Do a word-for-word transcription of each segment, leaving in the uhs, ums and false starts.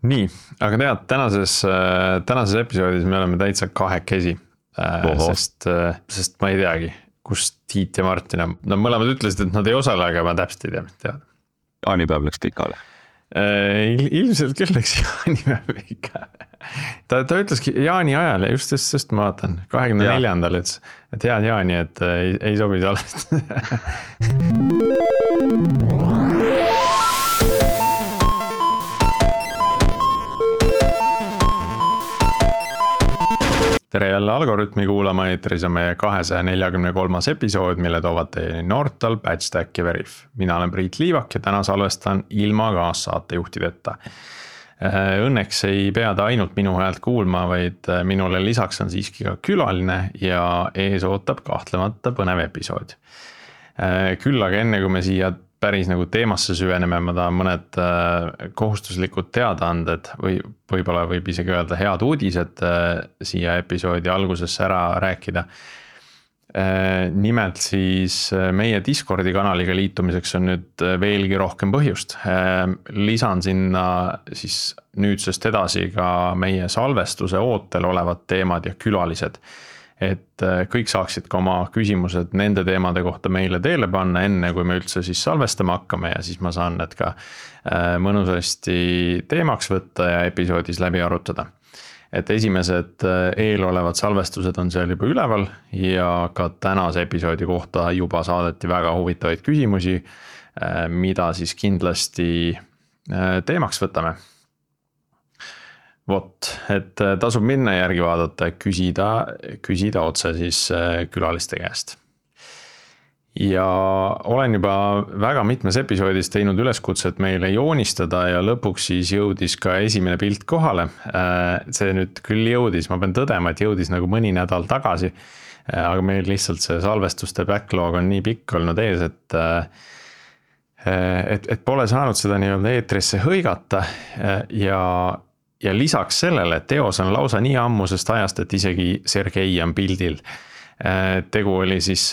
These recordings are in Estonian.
nii, aga tead, tänases, tänases episoodis me oleme täitsa kahekesi, sest, sest ma ei teagi, kust Tiit ja Martin on. No mõlemad ütlesid, et nad ei osale, aga ma täpselt ei tea, mis teada. Jaanipäev läks pikale. Ilmselt küll läks jaanipäev pikale. Ta, ta ütleski jaani ajal ja just, just, just ma vaatan, kahekümne neljandal, et, et head jaani, et ei, ei sobi salvest. Tere jälle Algorütmi kuulama, eetris on meie kahesaja neljakümne kolmas episood, mille toovad teie Nortal, Patchstack ja Veriff. Mina olen Priit Liivak ja täna salvestan ilma kaassaatejuhtideta. Õnneks ei pea ta ainult minu häält kuulma, vaid minule lisaks on siiski ka külaline ja ees ootab kahtlemata põnev episood. Küll aga enne, kui me siia päris nagu teemasse süveneme, ma tahan mõned kohustuslikud teadaanded või võib-olla võib isegi öelda head uudised siia episoodi algusesse ära rääkida. Nimelt siis meie Discordi kanaliga liitumiseks on nüüd veelgi rohkem põhjust. Lisan sinna siis nüüdsest edasi ka meie salvestuse ootel olevad teemad ja külalised. Et kõik saaksid ka oma küsimused nende teemade kohta meile teele panna enne, kui me üldse siis salvestama hakkame ja siis ma saan need ka mõnusasti teemaks võtta ja episoodis läbi arutada. Et esimesed eelolevad salvestused on seal juba üleval ja ka tänase episoodi kohta juba saadeti väga huvitavaid küsimusi, mida siis kindlasti teemaks võtame. Vot, et tasub minna järgi vaadata ja küsida, küsida otse siis külaliste käest. Ja olen juba väga mitmes episoodis teinud üleskutset meile joonistada ja lõpuks siis jõudis ka esimene pilt kohale. See nüüd küll jõudis, ma pean tõdema, et jõudis nagu mõni nädal tagasi, aga meil lihtsalt see salvestuste backlog on nii pikk olnud ees, et, et, et pole saanud seda nii-öelda eetrisse hõigata ja Ja lisaks sellele, et teos on lausa nii ammusest ajast, et isegi Sergei on pildil. Tegu oli siis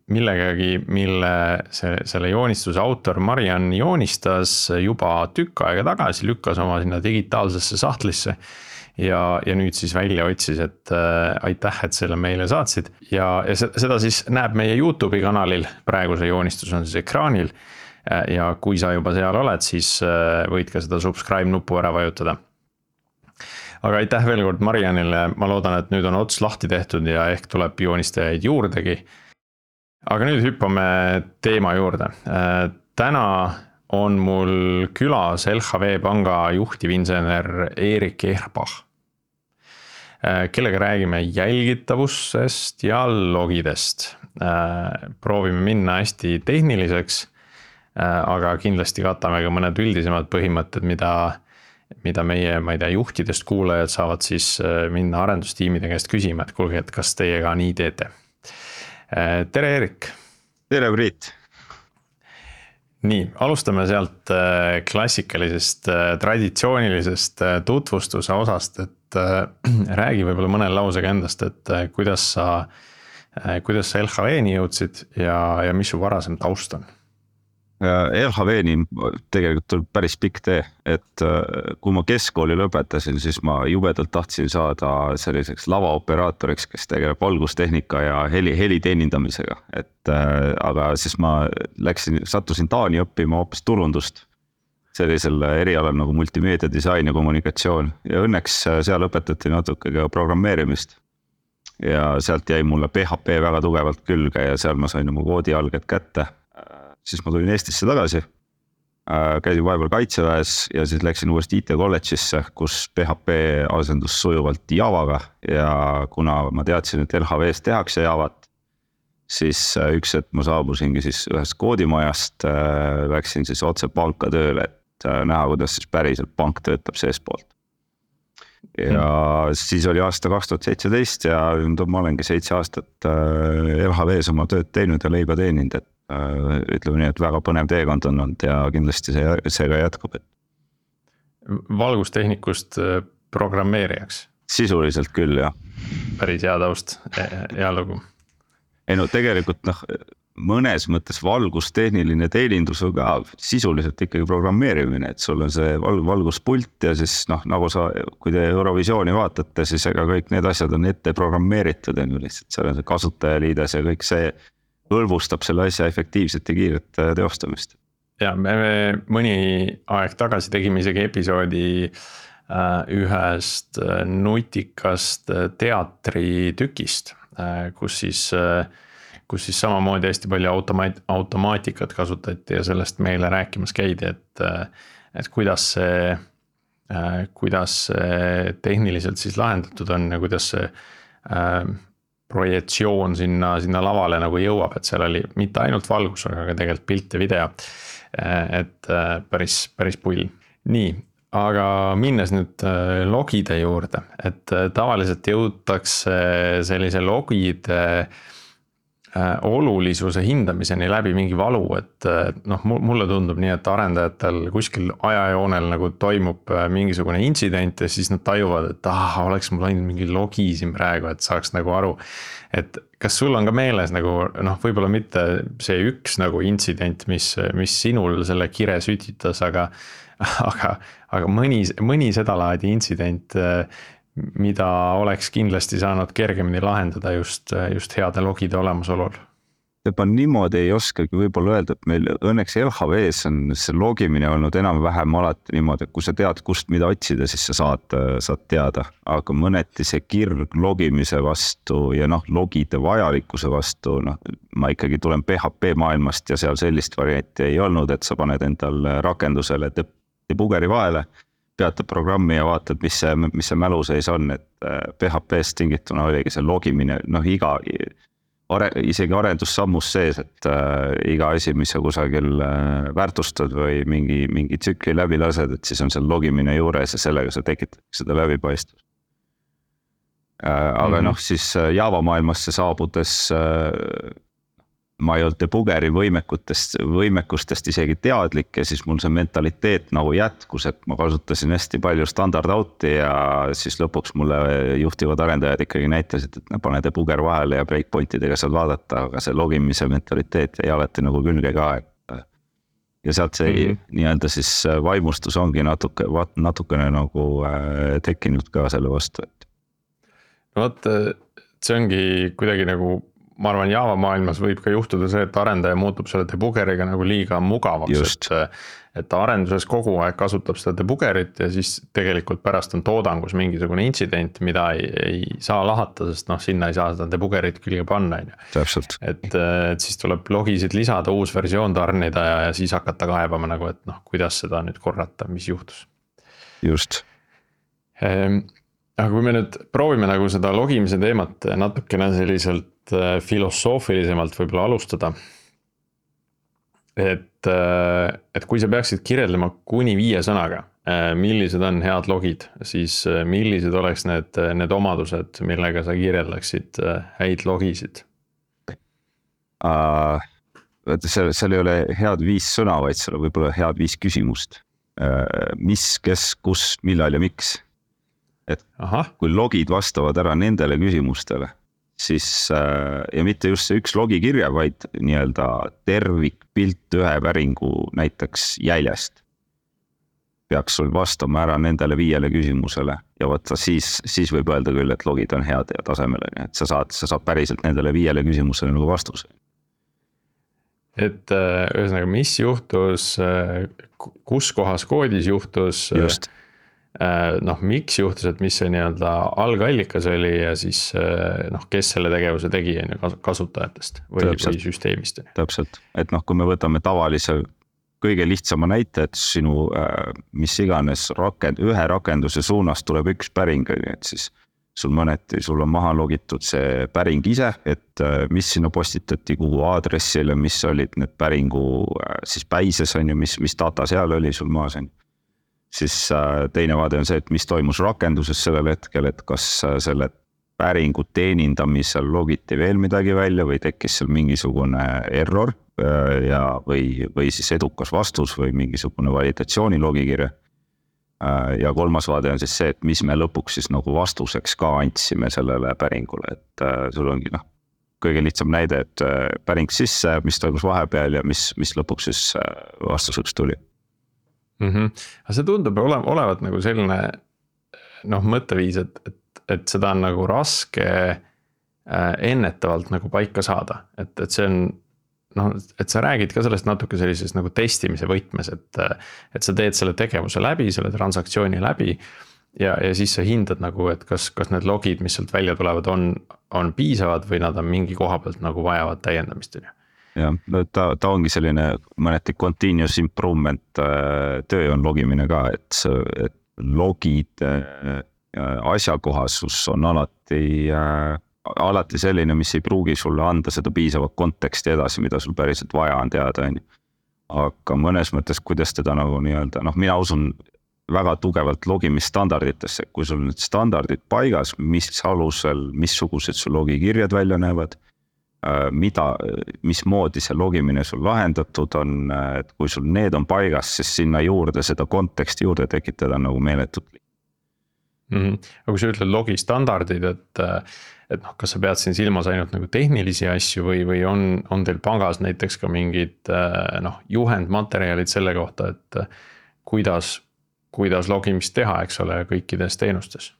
millegagi, mille see, selle joonistuse autor Marian joonistas juba tükk aega tagasi, lükkas oma sinna digitaalsesse sahtlisse ja, ja nüüd siis välja otsis, et aitäh, et selle meile saatsid. Ja, ja seda siis näeb meie YouTube'i kanalil, praegu see joonistus on siis ekraanil ja kui sa juba seal oled, siis võid ka seda subscribe nupu ära vajutada. Aga aitäh veel kord Marianile, ma loodan, et nüüd on ots lahti tehtud ja ehk tuleb joonistajaid juurdegi. Aga nüüd hüppame teema juurde. Täna on mul külas L H V panga juhtivinsener Erik Ehrbach, kellega räägime jälgitavusest ja logidest. Proovime minna hästi tehniliseks, aga kindlasti katame ka mõned üldisemad põhimõtted, mida mida meie, ma ei tea, juhtidest kuulajad saavad siis minna arendustiimide käest küsima, et kuulge, et kas teie ka nii teete. Tere, Erik! Tere, Priit! Nii, alustame sealt klassikalisest, traditsioonilisest tutvustuse osast, et räägi võib-olla mõne lausega endast, et kuidas sa, kuidas sa L H V-ni jõudsid ja, ja mis su varasem taust on? L H V-ni tegelikult tuleb päris pikk tee, et kui ma keskkooli lõpetasin, siis ma jubedalt tahtsin saada selliseks lavaoperaatoriks, kes tegeleb valgustehnika ja heli, heli teenindamisega. Et, aga siis ma läksin, sattusin Taani õppima hoopis turundust sellisel erialal nagu multimeedia disain ja kommunikatsioon ja õnneks seal õpetati natuke ka programmeerimist ja sealt jäi mulle P H P väga tugevalt külge ja seal ma sain oma koodialged kätte. Siis ma tulin Eestisse tagasi, käisin vahepeal kaitseväes ja siis läksin uuesti I T kolledžisse, kus P H P asendus sujuvalt Javaga ja kuna ma teadsin, et L H V-s tehakse Javat, siis üks, et ma saabusingi siis ühest koodimajast, läksin siis otse panka tööle, et näha, kuidas siis päriselt pank töötab sees poolt. Ja hmm. siis oli aasta kaks tuhat seitseteist ja ma olengi seitse aastat L H V-s oma tööd teinud ja leiba teeninud, et ütleme nii, et väga põnev teekond on olnud ja kindlasti see, see ka jätkub. Valgustehnikust programmeerijaks? Sisuliselt küll, jah. Päris hea taust, hea lugu. Ei no tegelikult noh, mõnes mõttes valgustehniline teenindus on ka sisuliselt ikkagi programmeerimine, et sul on see val- valguspult ja siis noh, nagu sa, kui te Eurovisiooni vaatate, siis ega kõik need asjad on ette programmeeritud, on ju lihtsalt seal on see kasutajaliides ja kõik see hõlbustab selle asja efektiivset ja kiiret teostamist. Ja me, me mõni aeg tagasi tegime isegi episoodi äh, ühest nutikast teatritükist, äh, kus siis äh, kus siis samamoodi hästi palju automaat, automaatikat kasutati ja sellest meile rääkimas käidi, et, et kuidas see, kuidas see tehniliselt siis lahendatud on ja kuidas see äh, projektsioon sinna, sinna lavale nagu jõuab, et seal oli mitte ainult valgus, aga ka tegelikult pilt ja video. Et päris, päris pull. Nii, aga minnes nüüd logide juurde, et tavaliselt jõutakse sellise logide olulisuse hindamiseni läbi mingi valu, et noh, mulle tundub nii, et arendajatel kuskil ajajoonel nagu toimub mingisugune intsident ja siis nad tajuvad, et ah, oleks mul ainult mingi logi siin praegu, et saaks nagu aru, et kas sul on ka meeles nagu noh, võib-olla mitte see üks nagu intsident, mis, mis sinul selle kire sütitas, aga, aga, aga mõni, mõni seda laadi intsident, mida oleks kindlasti saanud kergemini lahendada just, just heade logide olemasolul. Ma niimoodi ei oskagi võib-olla öelda, et meil õnneks L H V-s on see logimine olnud enam-vähem alati niimoodi, et kui sa tead, kust mida otsida, siis sa saad, saad teada. Aga mõneti see kirg logimise vastu ja noh, logide vajalikkuse vastu, noh, ma ikkagi tulen P H P maailmast ja seal sellist varianti ei olnud, et sa paned endal rakendusele debugeri vahele, peatad programmi ja vaatad, mis see, mis see mälu sees on, et P H P-st tingituna oligi see logimine, noh iga, are, isegi arendussammus sees, et äh, iga asi, mis sa kusagil äh, väärtustad või mingi, mingi tsükli läbi lased, et siis on seal logimine juures ja sellega sa tekitad seda läbipaistvust. Äh, aga mm-hmm. noh, siis Java maailmasse saabudes äh, ma ei olnud debugeri võimekutest, võimekustest isegi teadlik ja siis mul see mentaliteet nagu jätkus, et ma kasutasin hästi palju standard out'i ja siis lõpuks mulle juhtivad arendajad ikkagi näitasid, et pane debuger vahele ja breakpointidega saad vaadata, aga see logimise mentaliteet jäi alati nagu külge ka. Ja sealt see mm-hmm. nii-öelda siis vaimustus ongi natuke, natukene nagu tekkinud ka selle vastu. No vot, see ongi kuidagi nagu ma arvan, Java maailmas võib ka juhtuda see, et arendaja muutub selle debugeriga nagu liiga mugavaks, et, et arenduses kogu aeg kasutab seda debugerit ja siis tegelikult pärast on toodangus mingisugune intsident, mida ei, ei saa lahata, sest noh, sinna ei saa seda debugerit külge panna. Täpselt. Et, et siis tuleb logisid lisada, uus versioon tarnida ja, ja siis hakata kaebama nagu, et noh, kuidas seda nüüd korrata, mis juhtus. Just. Ehm, aga kui me nüüd proovime nagu seda logimise teemat natukene selliselt filosoofilisemalt võib-olla alustada. Et, et kui sa peaksid kirjeldama kuni viie sõnaga, millised on head logid, siis millised oleks need, need omadused, millega sa kirjeldaksid häid logisid? Uh, seal, seal ei ole head viis sõna, vaid seal on võib-olla head viis küsimust. Uh, mis, kes, kus, millal ja miks? Et Aha. kui logid vastavad ära nendele küsimustele, siis ja mitte just see üks logikirja, vaid nii-öelda tervikpilt ühe päringu näiteks jäljest peaks sul vastama ära nendele viiele küsimusele ja võtta siis, siis võib öelda küll, et logid on head ja tasemele, et sa saad, sa saad päriselt nendele viiele küsimusele nagu vastuse. Et ühesõnaga, mis juhtus, kus kohas koodis juhtus, just. noh, miks juhtus, et mis see nii-öelda algallikas oli ja siis noh, kes selle tegevuse tegi kasutajatest või, või süsteemist. Täpselt, et noh, kui me võtame tavalise kõige lihtsama näite, et sinu mis iganes rakend, ühe rakenduse suunas tuleb üks päring, et siis sul mõneti, sul on maha logitud see päring ise, et mis sinna postitati, kuhu aadressile, mis olid need päringu siis päises on ju, mis, mis data seal oli sul maas on. Siis teine vaade on see, et mis toimus rakenduses sellel hetkel, et kas selle päringu teenindamisel logiti veel midagi välja või tekkis seal mingisugune error ja, või, või siis edukas vastus või mingisugune validatsiooni logikirja. Ja kolmas vaade on siis see, et mis me lõpuks siis nagu vastuseks ka andsime sellele päringule, et sul ongi noh, kõige lihtsam näide, et päring sisse, mis toimus vahepeal ja mis, mis lõpuks siis vastuseks tuli mm. -hmm. Aga see tundub ole, olevat nagu selline noh, mõtteviis, et, et, et seda on nagu raske ennetavalt nagu paika saada, et, et see on noh, et sa räägid ka sellest natuke sellises nagu testimise võtmes, et, et sa teed selle tegevuse läbi, selle transaktsiooni läbi ja, ja siis sa hindad nagu, et kas, kas need logid, mis sealt välja tulevad, on, on piisavad või nad on mingi koha pealt nagu vajavad täiendamist. Ja ta, ta ongi selline mõneti continuous improvement töö on logimine ka, et, et logid asjakohasus on alati alati selline, mis ei pruugi sulle anda seda piisavat konteksti edasi, mida sul päriselt vaja on teada. Aga mõnes mõttes, kuidas teda nagu nii-öelda, noh, mina usun väga tugevalt logimisstandarditesse, kui sul need standardid paigas, mis alusel, missugused sul logikirjad välja näevad, mida, mismoodi see logimine sul lahendatud on, et kui sul need on paigas, siis sinna juurde seda konteksti juurde tekitada nagu meeletut. Mm -hmm. Aga kui sa ütled logistandardid, et et noh, kas sa pead siin silmas ainult nagu tehnilisi asju või, või on, on teil pangas näiteks ka mingid noh, juhendmaterjalid selle kohta, et kuidas, kuidas logimist teha, eks ole, kõikides teenustes?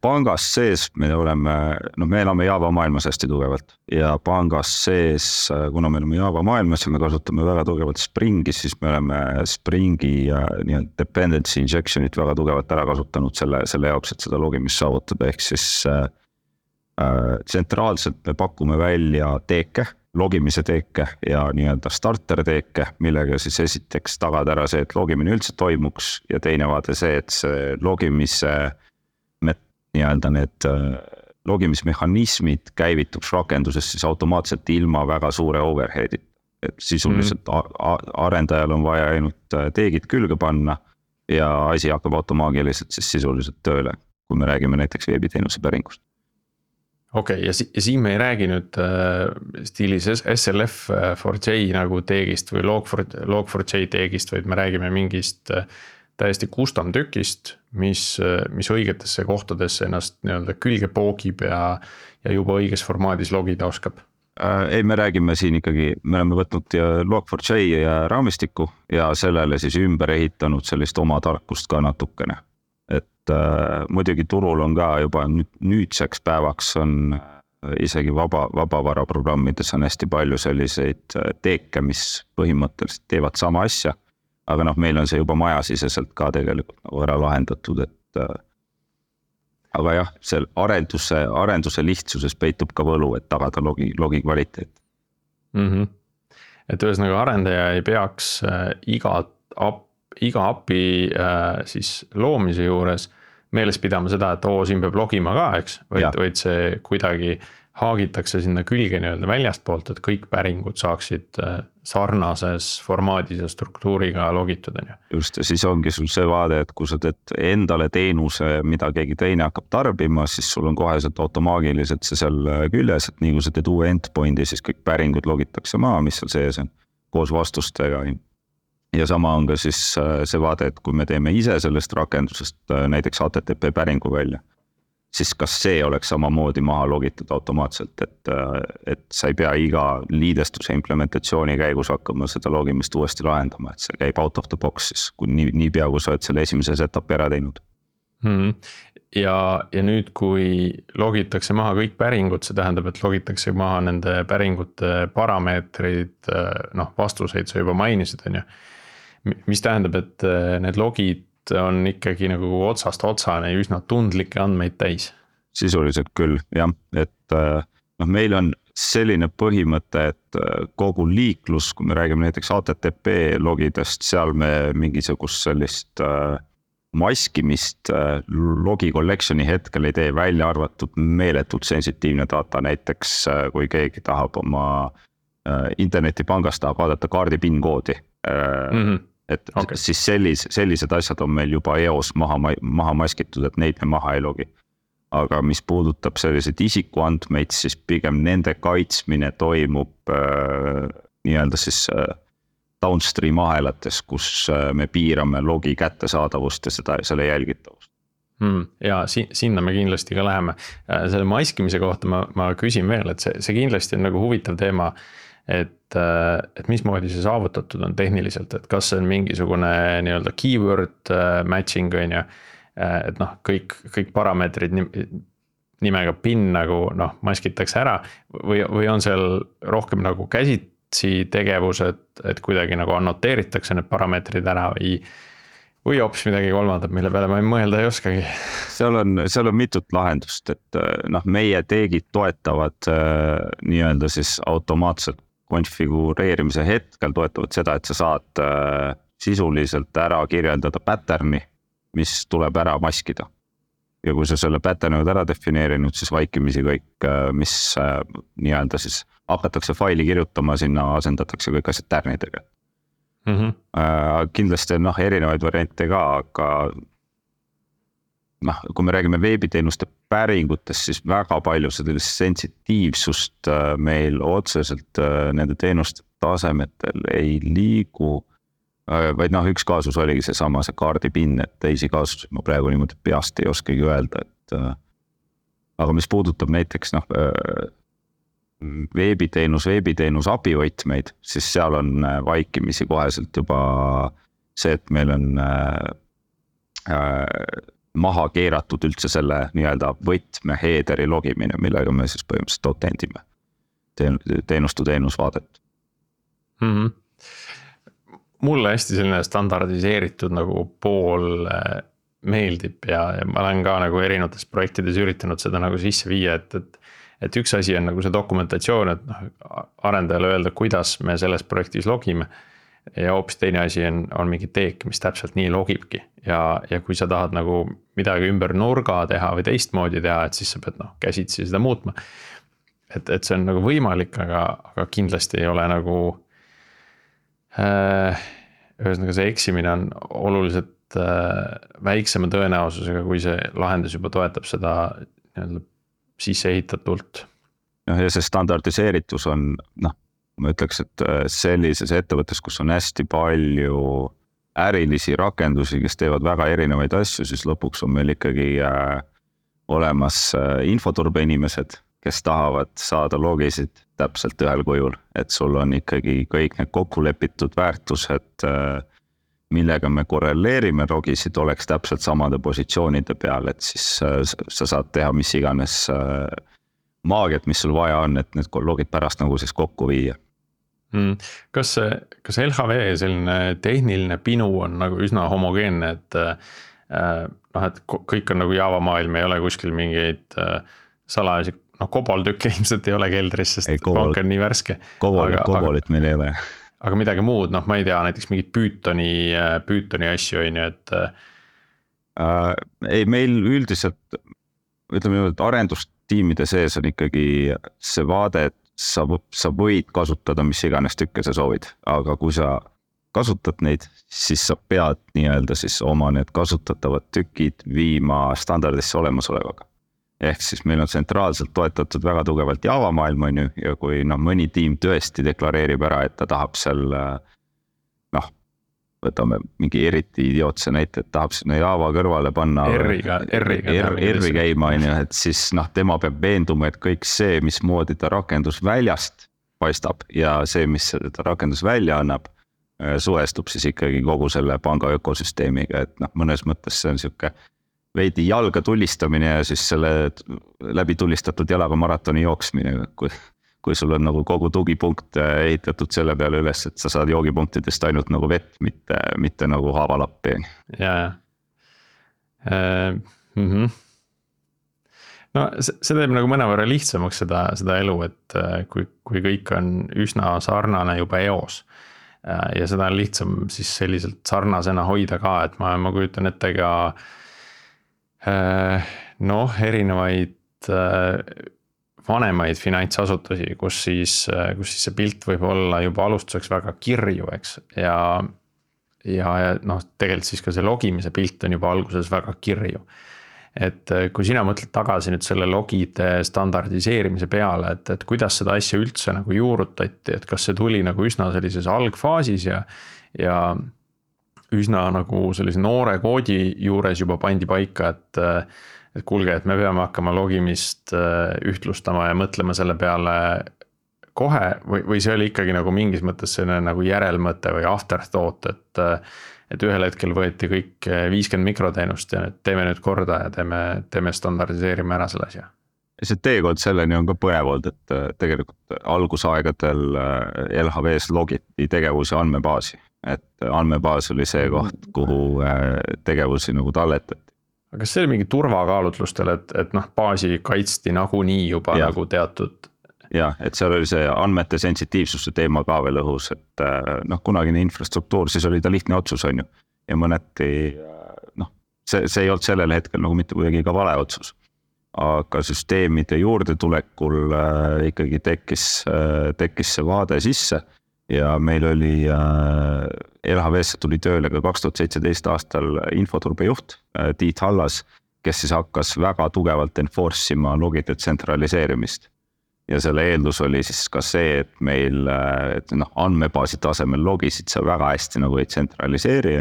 Pangas sees me oleme, no me elame Java maailmas hästi tugevalt ja pangas sees, kuna me oleme Java maailmas ja me kasutame väga tugevalt Springi, siis me oleme Springi nii-öelda dependency injection'it väga tugevalt ära kasutanud selle, selle jaoks, et seda logimist saavutada, ehk siis tsentraalselt me pakume välja teeke, logimise teeke ja nii-öelda starter teeke, millega siis esiteks tagada ära see, et logimine üldse toimuks ja teine vaade see, et see logimise nii-öelda need logimismehhanismid käivituks rakenduses siis automaatselt ilma väga suure overhead'it. Et sisuliselt mm. arendajal on vaja ainult teegid külge panna ja asi hakkab automaagiliselt siis sisuliselt tööle, kui me räägime näiteks veebiteenuse päringust. Okei, okay, ja, si ja siin me ei räägi nüüd äh, stiilis S L F four J nagu teegist või log four J teegist, vaid me räägime mingist äh, täiesti custom tükist, mis, mis õigetesse kohtadesse ennast nii-öelda külge poogib ja, ja juba õiges formaadis logida oskab. Ei, me räägime siin ikkagi, me oleme võtnud log four J ja raamistiku ja sellele siis ümber ehitanud sellist oma tarkust ka natukene. Et äh, muidugi turul on ka juba nüüd, nüüdseks päevaks on isegi vaba, vabavara programmides on hästi palju selliseid teeke, mis põhimõtteliselt teevad sama asja. Aga noh, meil on see juba majasiseselt ka tegelikult nagu ära lahendatud, et äh, aga jah, see arenduse, arenduse lihtsuses peitub ka võlu, et tagada logi, logi kvaliteet. Mm -hmm. Et ühesõnaga arendaja ei peaks äh, iga, ap, iga api äh, siis loomise juures meeles pidama seda, et oo, siin peab logima ka, eks, vaid, vaid see kuidagi haagitakse sinna külge nii-öelda väljast poolt, et kõik päringud saaksid sarnases formaadis ja struktuuriga logitud. Just, ja siis ongi sul see vaade, et kui sa teed endale teenuse, mida keegi teine hakkab tarbima, siis sul on koheselt automaagiliselt see seal küljes, et nii kui sa teed uue endpointi, siis kõik päringud logitakse maa, mis seal sees on, koos vastustega. Ja sama on ka siis see vaade, et kui me teeme ise sellest rakendusest näiteks H T T P päringu välja, siis kas see oleks samamoodi maha logitud automaatselt, et, et sa ei pea iga liidestuse implementatsiooni käigus hakkama seda logimist uuesti lahendama, et see käib out of the box siis, kui nii, nii pea, kui sa oled selle esimese setupi ära teinud. Hmm. Ja, ja nüüd, kui logitakse maha kõik päringud, see tähendab, et logitakse maha nende päringute parameetrid, noh, vastuseid sa juba mainisid, on ju. Mis tähendab, et need logid on ikkagi nagu otsast otsane ja üsna tundlikke andmeid täis. Sisuliselt küll, jah, et noh, meil on selline põhimõte, et kogu liiklus, kui me räägime näiteks H T T P logidest, seal me mingisugust sellist maskimist logi collection'i hetkel ei tee, välja arvatud meeletult sensitiivne data, näiteks kui keegi tahab oma internetipangast tahab vaadata kaardi PIN koodi. Mm-hmm. Et okay. Siis sellis, sellised asjad on meil juba E O S maha, maha maskitud, et neid me maha ei logi. Aga mis puudutab selliseid isikuandmeid, siis pigem nende kaitsmine toimub äh, nii-öelda siis äh, downstream ahelates, kus äh, me piirame logi kättesaadavust ja seda, selle jälgitavust. Hmm, ja si-, sinna me kindlasti ka läheme. Selle maskimise kohta ma, ma küsin veel, et see, see kindlasti on nagu huvitav teema, et, et mismoodi see saavutatud on tehniliselt, et kas see on mingisugune nii-öelda keyword matching on ju, et noh, kõik, kõik parameetrid nimega pin nagu noh, maskitakse ära või, või on seal rohkem nagu käsitsi tegevused, et kuidagi nagu annoteeritakse need parameetrid ära või või hoopis midagi kolmandat, mille peale ma ei mõelda ei oskagi. seal on, seal on mitut lahendust, et noh, meie teegid toetavad äh, nii-öelda siis automaatselt konfigureerimise hetkel toetavad seda, et sa saad äh, sisuliselt ära kirjeldada pattern'i, mis tuleb ära maskida. Ja kui sa selle pattern'i oled ära defineerinud, siis vaikimisi kõik, mis äh, nii-öelda siis hakatakse faili kirjutama, sinna asendatakse kõik asjad tärnidega. Mm -hmm. uh, kindlasti on noh, erinevaid variante ka, aga noh, kui me räägime veebiteenuste päringutest, siis väga palju sellist sensitiivsust uh, meil otseselt uh, nende teenuste tasemetel ei liigu uh,, vaid noh, üks kaasus oligi see sama, see kaardipin, et teisi kaasusi ma praegu niimoodi peast ei oskagi öelda, et uh, aga mis puudutab näiteks noh uh, veebiteenus, veebiteenus abivõtmeid, siis seal on vaikimisi koheselt juba see, et meil on äh, maha keeratud üldse selle nii-öelda võtme headeri logimine, millega me siis põhimõtteliselt autendime teenustu teenusvaadet. Mm-hmm. Mulle hästi selline standardiseeritud nagu pool meeldib ja, ja ma olen ka nagu erinevates projektides üritanud seda nagu sisse viia, et, et et üks asi on nagu see dokumentatsioon, et noh, arendajale öelda, kuidas me selles projektis logime ja hoopis teine asi on, on mingi teek, mis täpselt nii logibki ja, ja kui sa tahad nagu midagi ümber nurga teha või teistmoodi teha, et siis sa pead noh, käsitsi seda muutma. Et, et see on nagu võimalik, aga, aga kindlasti ei ole nagu äh, ühesõnaga see eksimine on oluliselt äh, väiksema tõenäosusega, kui see lahendus juba toetab seda nii-öelda sisse ehitatult. Noh, ja see standardiseeritus on, noh, ma ütleks, et sellises ettevõttes, kus on hästi palju ärilisi rakendusi, kes teevad väga erinevaid asju, siis lõpuks on meil ikkagi äh, olemas äh, infoturbe inimesed, kes tahavad saada logisid täpselt ühel kujul, et sul on ikkagi kõik need kokkulepitud väärtused äh, millega me korreleerime logisid, oleks täpselt samade positsioonide peal, et siis sa saad teha mis iganes maagiat, mis sul vaja on, et need logid pärast nagu siis kokku viia. Mm. Kas, kas L H V selline tehniline pinu on nagu üsna homogeenne, et, noh, et kõik on nagu Java maailm, ei ole kuskil mingeid salajasi, noh, koboltükke ilmselt ei ole keldris, sest ei, kobol, pank on nii värske. Kobol, kobolit meil ei ole. Aga midagi muud, noh, ma ei tea, näiteks mingid Pythoni, Pythoni asju, on ju, et äh, ei, meil üldiselt, ütleme nii, et arendustiimide sees on ikkagi see vaade, et sa, sa võid kasutada mis iganes tükke sa soovid, aga kui sa kasutad neid, siis sa pead nii-öelda siis oma need kasutatavad tükid viima standardisse olemasolevaga. Ehk siis meil on tsentraalselt toetatud väga tugevalt Java maailm on ju, ja kui no, mõni tiim tõesti deklareerib ära, et ta tahab seal, noh, võtame mingi eriti idiootse näite, et tahab sinna Java kõrvale panna R-iga, R-iga, R-i käima, on ju, et siis noh, tema peab veenduma, et kõik see, mismoodi ta rakendus väljast paistab ja see, mis ta rakendus välja annab, suhestub siis ikkagi kogu selle panga ökosüsteemiga, et noh, mõnes mõttes see on siuke veidi jalga tulistamine ja siis selle läbi tulistatud jalaga maratoni jooksmine, kui, kui sul on nagu kogu tugipunkt ehitatud selle peale üles, et sa saad joogipunktidest ainult nagu vett, mitte, mitte nagu haavalappi. Ja, ja. Äh, mm-hmm. No see, see teeb nagu mõnevõrra lihtsamaks seda, seda elu, et kui, kui kõik on üsna sarnane juba eos ja seda on lihtsam siis selliselt sarnasena hoida ka, et ma, ma kujutan ette ka noh, erinevaid vanemaid finantsasutusi, kus siis, kus siis see pilt võib olla juba alustuseks väga kirju, eks, ja, ja, ja noh, tegelikult siis ka see logimise pilt on juba alguses väga kirju. Et kui sina mõtled tagasi nüüd selle logide standardiseerimise peale, et, et kuidas seda asja üldse nagu juurutati, et kas see tuli nagu üsna sellises algfaasis ja, ja üsna nagu sellise noore koodi juures juba pandi paika, et et kuulge, et me peame hakkama logimist ühtlustama ja mõtlema selle peale kohe või, või see oli ikkagi nagu mingis mõttes selline nagu järelmõte või afterthought, et et ühel hetkel võeti kõik viiskümmend mikroteenust ja teeme nüüd korda ja teeme, teeme standardiseerime ära selle asja. See teekond selleni on ka põnev olnud, et tegelikult algusaegadel L H V-s logiti tegevusi andmebaasi, et andmebaas oli see koht, kuhu tegevusi nagu talletati. aga kas see oli mingi turvakaalutlustel, et, et noh, baasi kaitsti nagunii juba ja. nagu teatud? jah, et seal oli see andmete sensitiivsuse teema ka veel õhus, et noh, kunagine infrastruktuur, siis oli ta lihtne otsus, on ju. Ja mõneti, noh, see, see ei olnud sellel hetkel nagu mitte kuidagi ka vale otsus. Aga süsteemide juurdetulekul äh, ikkagi tekkis, äh, tekkis see vaade sisse ja meil oli äh, L H V-sse tuli tööle ka kaks tuhat seitseteist aastal infoturbejuht äh, Tiit Hallas, kes siis hakkas väga tugevalt enforce ima logide tsentraliseerimist. Ja selle eeldus oli siis ka see, et meil et noh, andmebaasi tasemel logisid sa väga hästi nagu ei tsentraliseeri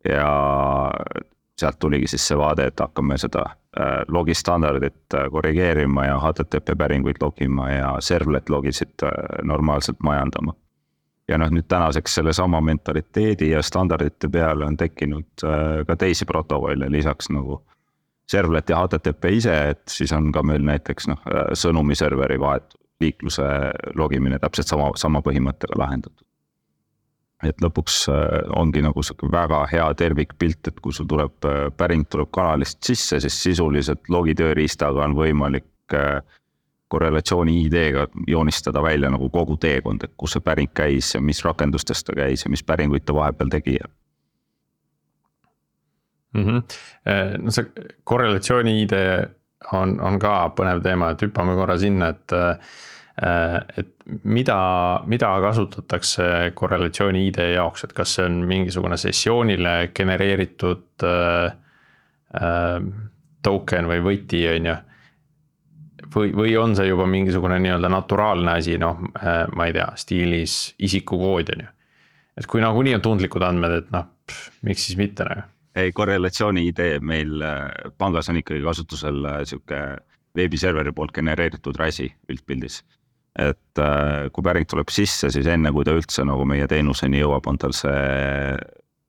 ja sealt tuligi siis see vaade, et hakkame seda logistandardit korrigeerima ja H T T P päringuid logima ja servlet logisid normaalselt majandama. Ja noh, nüüd tänaseks selle sama mentaliteedi ja standardite peale on tekkinud ka teisi protokolle lisaks nagu servlet ja H T T P ise, et siis on ka meil näiteks noh, sõnumiserveri vahet liikluse logimine täpselt sama, sama põhimõttega lahendatud. Et lõpuks ongi nagu väga hea tervikpilt, et kui sul tuleb päring tuleb kanalist sisse, siis sisuliselt logitööriistaga on võimalik korrelatsiooni I D-ga joonistada välja nagu kogu teekond, et kus see päring käis ja mis rakendustest ta käis ja mis päringuid ta vahepeal tegi. Mm-hmm. No see korrelatsiooni I D on, on ka põnev teema, et hüppame korra sinna, et, et mida, mida kasutatakse korrelatsiooni I D jaoks, et kas see on mingisugune sessioonile genereeritud äh, token või võti on ju, või, või on see juba mingisugune nii-öelda naturaalne asi, noh, ma ei tea, stiilis isikukood on ju. Et kui nagunii on tundlikud andmed, et noh, pff, miks siis mitte nagu? Ei, korrelatsiooni I D meil pangas on ikkagi kasutusel siuke veebiserveri poolt genereeritud räsi üldpildis. Et kui päring tuleb sisse, siis enne kui ta üldse nagu meie teenuseni jõuab, on tal see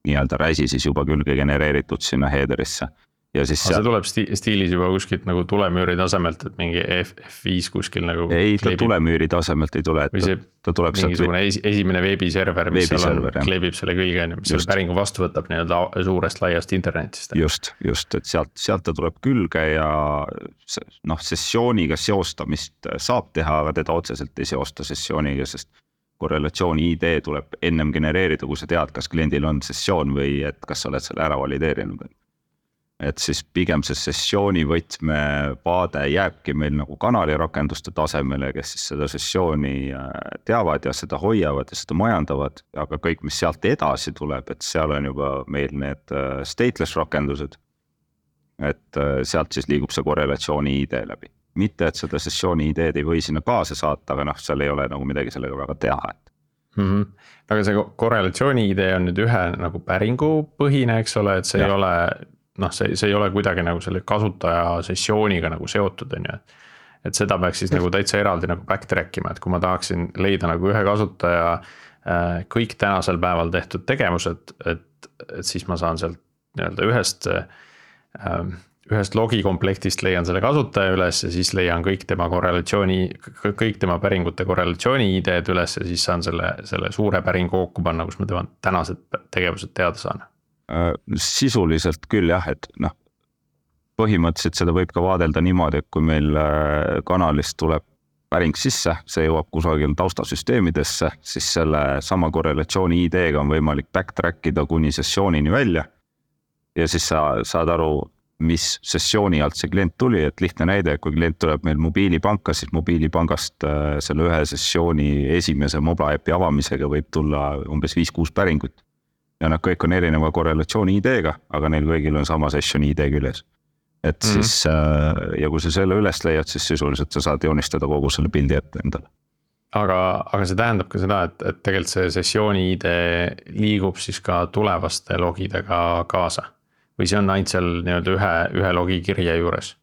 nii-öelda räsi siis juba külge genereeritud sinna headerisse. Ja siis see tuleb stiilis juba kuskilt nagu tulemüüri tasemelt, et mingi F viis kuskil nagu ei, ta kleebib. Tulemüüri tasemelt ei tule, et ta, ta tuleb mingisugune sealt... esimene veebiserver, mis seal on, kleebib selle kõige, mis selle päringu vastu võtab nii-öelda suurest laiast internetist. Just, just, et sealt, sealt ta tuleb külge ja noh, sessiooniga seostamist saab teha, aga teda otseselt ei seosta sessiooniga, sest korrelatsiooni I D tuleb ennem genereerida, kui sa tead, kas kliendil on sessioon või et kas sa oled selle ära valideerinud. Et siis pigem see sessiooni võtme vaade jääbki meil nagu kanali rakenduste tasemele, kes siis seda sessiooni teavad ja seda hoiavad ja seda majandavad, aga kõik, mis sealt edasi tuleb, et seal on juba meil need stateless rakendused, et sealt siis liigub see korrelatsiooni I D läbi. Mitte, et seda sessiooni I D-d ei või sinna kaasa saata, aga noh, seal ei ole nagu midagi sellega väga teha. Mm-hmm. Aga see korrelatsiooni I D on nüüd ühe nagu päringu põhine, eks ole, et see ja. ei ole... noh, see, see ei ole kuidagi nagu selle kasutaja sessiooniga nagu seotud, on ju. Et seda peaks siis nagu täitsa eraldi nagu backtrack ima, et kui ma tahaksin leida nagu ühe kasutaja kõik tänasel päeval tehtud tegevused, et, et siis ma saan sealt nii-öelda ühest, ühest logi komplektist leian selle kasutaja üles ja siis leian kõik tema korrelatsiooni, kõik tema päringute korrelatsiooni I D-d üles ja siis saan selle, selle suure päringu kokku panna, kus ma tema tänased tegevused teada saan. Sisuliselt küll jah, et noh, põhimõtteliselt seda võib ka vaadelda niimoodi, et kui meil kanalist tuleb päring sisse, see jõuab kusagil taustasüsteemidesse, siis selle sama korrelatsiooni I D-ga on võimalik backtrackida kuni sessioonini välja ja siis sa saad aru, mis sessiooni alt see klient tuli, et lihtne näide, kui klient tuleb meil mobiilipanka, siis mobiilipangast selle ühe sessiooni esimese mobile äpi avamisega võib tulla umbes viis kuus päringut. Ja nad kõik on erineva korrelatsiooni I D-ga, aga neil kõigil on sama session I D küljes. Et mm-hmm. siis, ja kui sa selle üles leiad, siis sisuliselt sa saad joonistada kogu selle pildi ette endale. aga, aga see tähendab ka seda, et, et tegelikult see sessiooni I D liigub siis ka tulevaste logidega kaasa. Või see on ainult seal nii-öelda ühe, ühe logi kirje juures?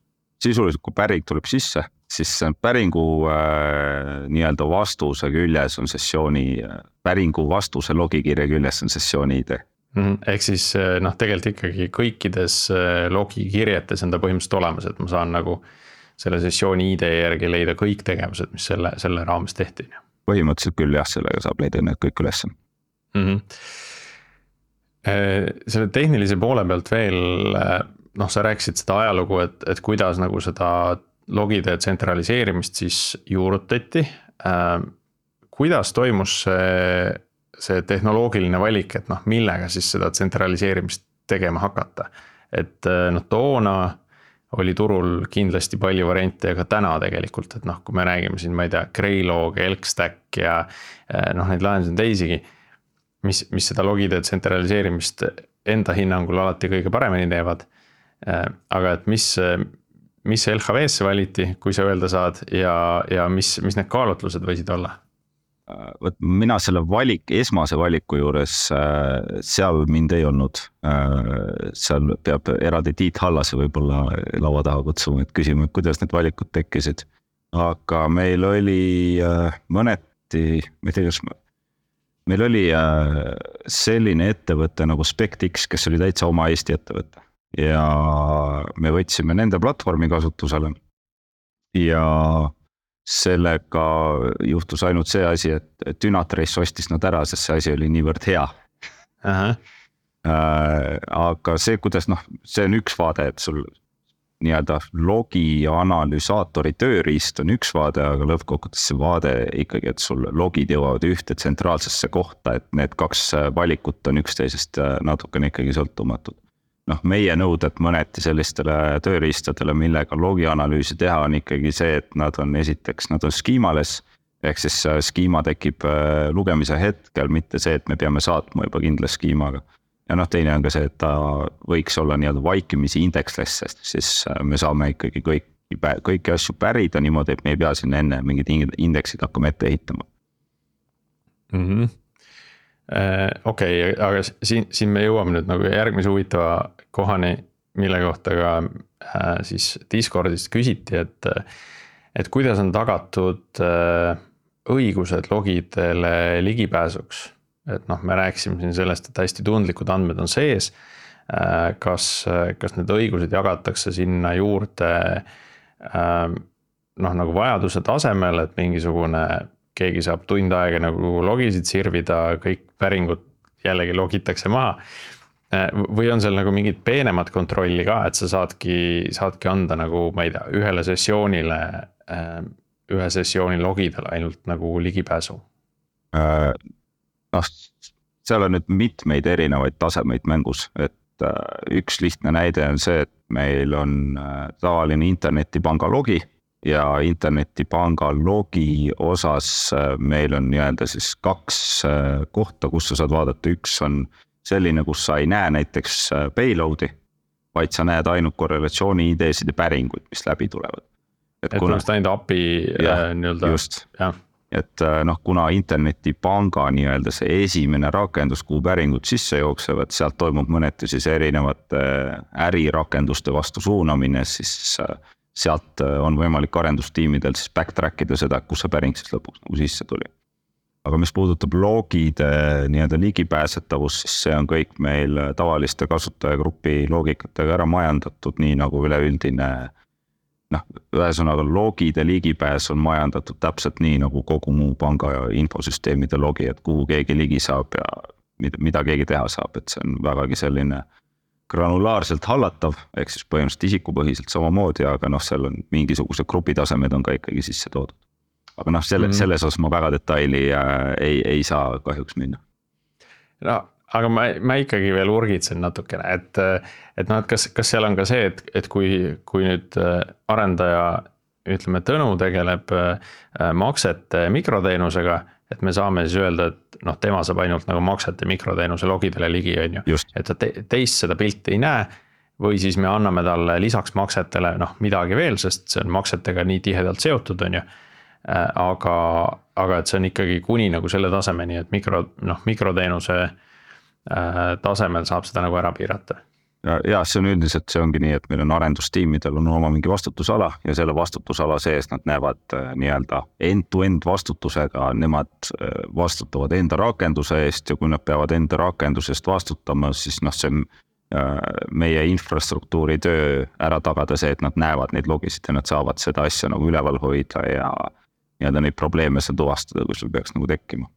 Sisuliselt, kui päring tuleb sisse, siis päringu äh, nii-öelda vastuse küljes on sessiooni, päringu vastuse logikirja küljes on sessiooni I D. Mm, ehk siis noh, tegelikult ikkagi kõikides logikirjetes on ta põhimõtteliselt olemas, et ma saan nagu selle sessiooni I D järgi leida kõik tegevused, mis selle, selle raames tehti. Põhimõtteliselt küll jah, sellega saab leida need kõik üles. Mm-hmm. Selle tehnilise poole pealt veel, noh, sa rääkisid seda ajalugu, et, et kuidas nagu seda logide tsentraliseerimist siis juurutati. Kuidas toimus see, see tehnoloogiline valik, et noh, millega siis seda tsentraliseerimist tegema hakata? Et noh, toona oli turul kindlasti palju variante, aga täna tegelikult, et noh, kui me räägime siin, ma ei tea, Greylog, Elkstack ja noh, neid lahendusi on teisigi, mis, mis seda logide tsentraliseerimist enda hinnangul alati kõige paremini teevad. Aga et mis, mis L H V-sse valiti, kui sa öelda saad, ja, ja mis, mis need kaalutlused võisid olla? Võt, mina selle valik, esmase valiku juures, seal mind ei olnud. Seal peab eraldi Tiit Hallase võib-olla laua taha kutsuma, et küsima, et kuidas need valikud tekkisid. Aga meil oli mõneti, ma ei tea, kas meil oli selline ettevõte nagu SpectX, kes oli täitsa oma Eesti ettevõte. Ja me võtsime nende platvormi kasutusele. Ja sellega juhtus ainult see asi, et Dynatrace ostis nad ära, sest see asi oli niivõrd hea. Aha. Aga see, kuidas noh, see on üks vaade, et sul nii-öelda logi analüsaatori tööriist on üks vaade, aga lõppkokkuvõttes see vaade ikkagi, et sul logid jõuavad ühte tsentraalsesse kohta, et need kaks valikut on üksteisest natukene ikkagi sõltumatud. Noh, meie nõuded mõneti sellistele tööriistadele, millega logi analüüsi teha on ikkagi see, et nad on esiteks, nad on skiimales, ehk siis skiima tekib lugemise hetkel, mitte see, et me peame saatma juba kindla skiimaga. Ja noh, teine on ka see, et ta võiks olla nii-öelda vaikimisi indeksless, sest siis me saame ikkagi kõik, kõiki asju pärida niimoodi, et me ei pea sinna enne mingid indeksid hakkama ette ehitama. Mhm. Okei, okay, aga siin, siin me jõuame nüüd nagu järgmise huvitava kohani, mille kohta ka äh, siis Discordist küsiti, et, et kuidas on tagatud äh, õigused logidele ligipääsuks. Et noh, me rääkisime siin sellest, et hästi tundlikud andmed on sees. Äh, kas, kas need õigused jagatakse sinna juurde äh, noh, nagu vajaduse tasemel, et mingisugune keegi saab tund aega nagu logisid sirvida, kõik päringud jällegi logitakse maha. Või on seal nagu mingid peenemad kontrolli ka, et sa saadki, saadki anda nagu, ma ei tea, ühele sessioonile, ühe sessiooni logidele ainult nagu ligipääsu? Noh, seal on nüüd mitmeid erinevaid tasemeid mängus, et üks lihtne näide on see, et meil on tavaline internetipanga logi, ja internetipanga logi osas meil on nii-öelda siis kaks kohta, kus sa saad vaadata. Üks on selline, kus sa ei näe näiteks payloadi, vaid sa näed ainult korrelatsiooni I D-sid ja päringuid, mis läbi tulevad. Et, et kuna ainult A P I ja, nii-öelda. Just, ja. Et noh, kuna internetipanga nii-öelda see esimene rakendus, kuhu päringud sisse jooksevad, sealt toimub mõneti siis erinevate ärirakenduste vastu suunamine, siis sealt on võimalik arendustiimidel siis backtrack ida seda, kus see päring siis lõpuks nagu sisse tuli. Aga mis puudutab logide nii-öelda ligipääsetavus, siis see on kõik meil tavaliste kasutajagrupi loogikatega ära majandatud, nii nagu üleüldine, noh, ühesõnaga logide ligipääs on majandatud täpselt nii nagu kogu muu panga ja infosüsteemide logi, et kuhu keegi ligi saab ja mida, mida keegi teha saab, et see on vägagi selline granulaarselt hallatav, ehk siis põhimõtteliselt isikupõhiselt samamoodi, aga noh, seal on mingisugused grupitasemed on ka ikkagi sisse toodud. Aga noh, selle, mm. selles osas ma väga detaili ei, ei saa kahjuks minna. No, aga ma, ma ikkagi veel urgitsen natukene, et, et noh, et kas, kas seal on ka see, et, et kui, kui nüüd arendaja, ütleme, Tõnu tegeleb maksete mikroteenusega, et me saame siis öelda, et noh, tema saab ainult nagu maksete mikroteenuse logidele ligi, on ju. Et ta te, teist seda pilti ei näe, või siis me anname talle lisaks maksetele noh, midagi veel, sest see on maksetega nii tihedalt seotud, on ju. Aga, aga et see on ikkagi kuni nagu selle tasemeni, et mikro, noh, mikroteenuse äh, tasemel saab seda nagu ära piirata. ja, ja see on üldiselt, see ongi nii, et meil on arendustiimidel on oma mingi vastutusala ja selle vastutusala sees nad näevad äh, nii-öelda end-to-end vastutusega, nemad äh, vastutavad enda rakenduse eest ja kui nad peavad enda rakendusest vastutama, siis noh, see on äh, meie infrastruktuuri töö ära tagada see, et nad näevad neid logisid ja nad saavad seda asja nagu üleval hoida ja nii-öelda neid probleeme seal tuvastada, kui sul peaks nagu tekkima.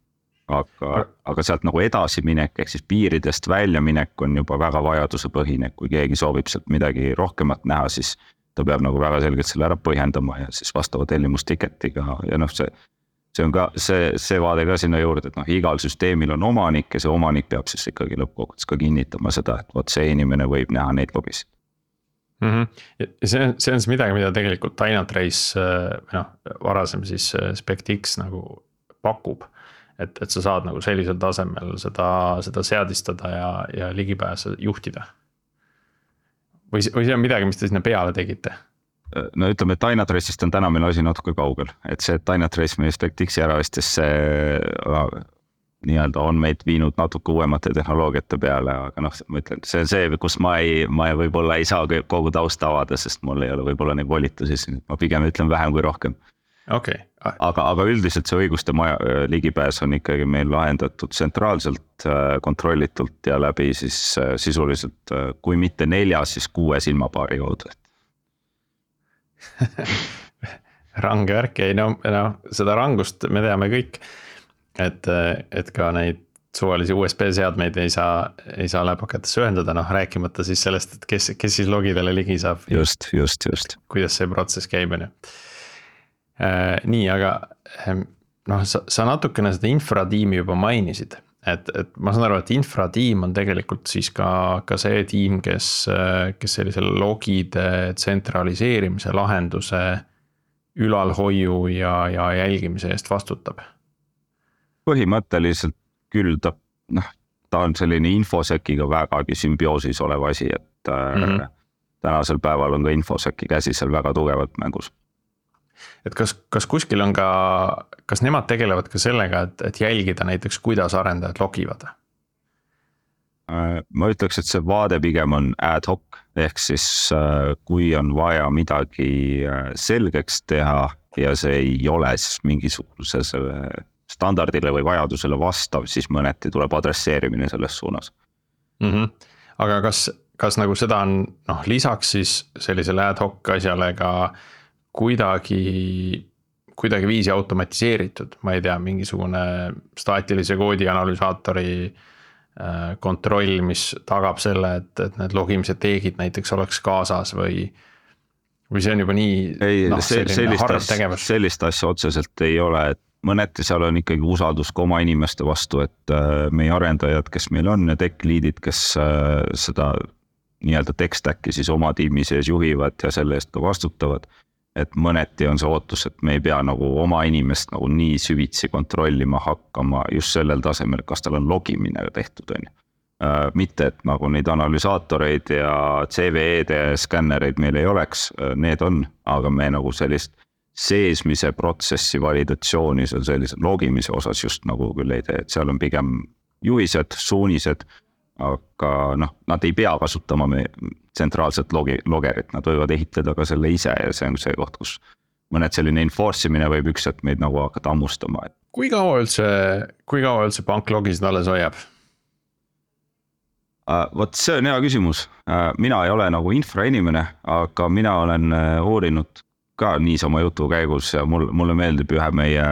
Aga, aga sealt nagu edasi minek, ehk siis piiridest välja minek on juba väga vajaduse põhine, kui keegi soovib sealt midagi rohkemat näha, siis ta peab nagu väga selgelt selle ära põhjendama ja siis vastava tellimustiketiga ja noh, see, see on ka see, see vaade ka sinna juurde, et noh, igal süsteemil on omanik ja see omanik peab siis ikkagi lõppkokkuvõttes ka kinnitama seda, et vot see inimene võib näha neid logisid. Mm-hmm. Ja see on, see on midagi, mida tegelikult Dynatrace, noh, varasem siis SpectX nagu pakub. Et, et sa saad nagu sellisel tasemel seda, seda seadistada ja, ja ligipääse juhtida. Või, või see on midagi, mis te sinna peale tegite? No ütleme, et Dynatrace'ist on täna meil asi natuke kaugel, et see Dynatrace meie SpectX-i ära istes see nii-öelda on meid viinud natuke uuemate tehnoloogiate peale, aga noh, ma ütlen, see on see, kus ma ei, ma võib-olla ei saa kogu tausta avada, sest mul ei ole võib-olla neid volitusi, ma pigem ütlen vähem kui rohkem. Okay. aga, aga üldiselt see õiguste maja, ligipääs on ikkagi meil lahendatud tsentraalselt, kontrollitult ja läbi siis sisuliselt, kui mitte nelja, siis kuue silmapaari kaudu. Range värk, ei no, no seda rangust me teame kõik, et, et ka neid suvalisi U S B seadmeid ei saa, ei saa läpakatesse ühendada, noh rääkimata siis sellest, et kes, kes siis logidele ligi saab. Just, just, just. Kuidas see protsess käib, on ju. Äh, nii, aga noh, sa, sa natukene seda infratiimi juba mainisid, et, et ma saan aru, et infratiim on tegelikult siis ka, ka see tiim, kes, kes sellise logide tsentraliseerimise lahenduse ülalhoiu ja, ja jälgimise eest vastutab. Põhimõtteliselt küll ta, noh, ta on selline infosekiga vägagi sümbioosis olev asi, et mm-hmm. tänasel päeval on ka infoseki käsi seal väga tugevalt mängus. Et kas, kas kuskil on ka, kas nemad tegelevad ka sellega, et, et jälgida näiteks, kuidas arendajad logivad? Ma ütleks, et see vaade pigem on ad hoc, ehk siis kui on vaja midagi selgeks teha ja see ei ole siis mingisuguse standardile või vajadusele vastav, siis mõneti tuleb adresseerimine selles suunas. Mm-hmm. Aga kas, kas nagu seda on, noh, lisaks siis sellisele ad hoc asjale ka kuidagi, kuidagi viisi automatiseeritud, ma ei tea, mingisugune staatilise koodi analüsaatori kontroll, mis tagab selle, et, et need logimise teegid näiteks oleks kaasas või, või see on juba nii ei, noh, selline harv tegevus. Sellist asja otseselt ei ole, et mõneti seal on ikkagi usaldus ka oma inimeste vastu, et meie arendajad, kes meil on ja tech lead'id, kes seda nii-öelda tech stack'i siis oma tiimi sees juhivad ja selle eest ka vastutavad. Et mõneti on see ootus, et me ei pea nagu oma inimest nagu nii süvitsi kontrollima hakkama just sellel tasemel, kas tal on logimine tehtud. On. Mitte, et nagu neid analüsaatoreid ja C V E-de skännereid meil ei oleks, need on, aga me nagu sellist seesmise protsessi validatsiooni seal sellise logimise osas just nagu küll ei tee, et seal on pigem juhised, suunised, aga noh, nad ei pea kasutama me tsentraalset logi, logerit, nad võivad ehitada ka selle ise ja see on see koht, kus mõned selline enforce imine võib üks, et meid nagu hakata ammustama. Kui kaua üldse, kui kaua üldse pank logisid alles hoiab? Uh, Vot see on hea küsimus. Uh, mina ei ole nagu infrainimene, aga mina olen uh, uurinud ka niisama jutu käigus ja mul, mulle meeldib ühe meie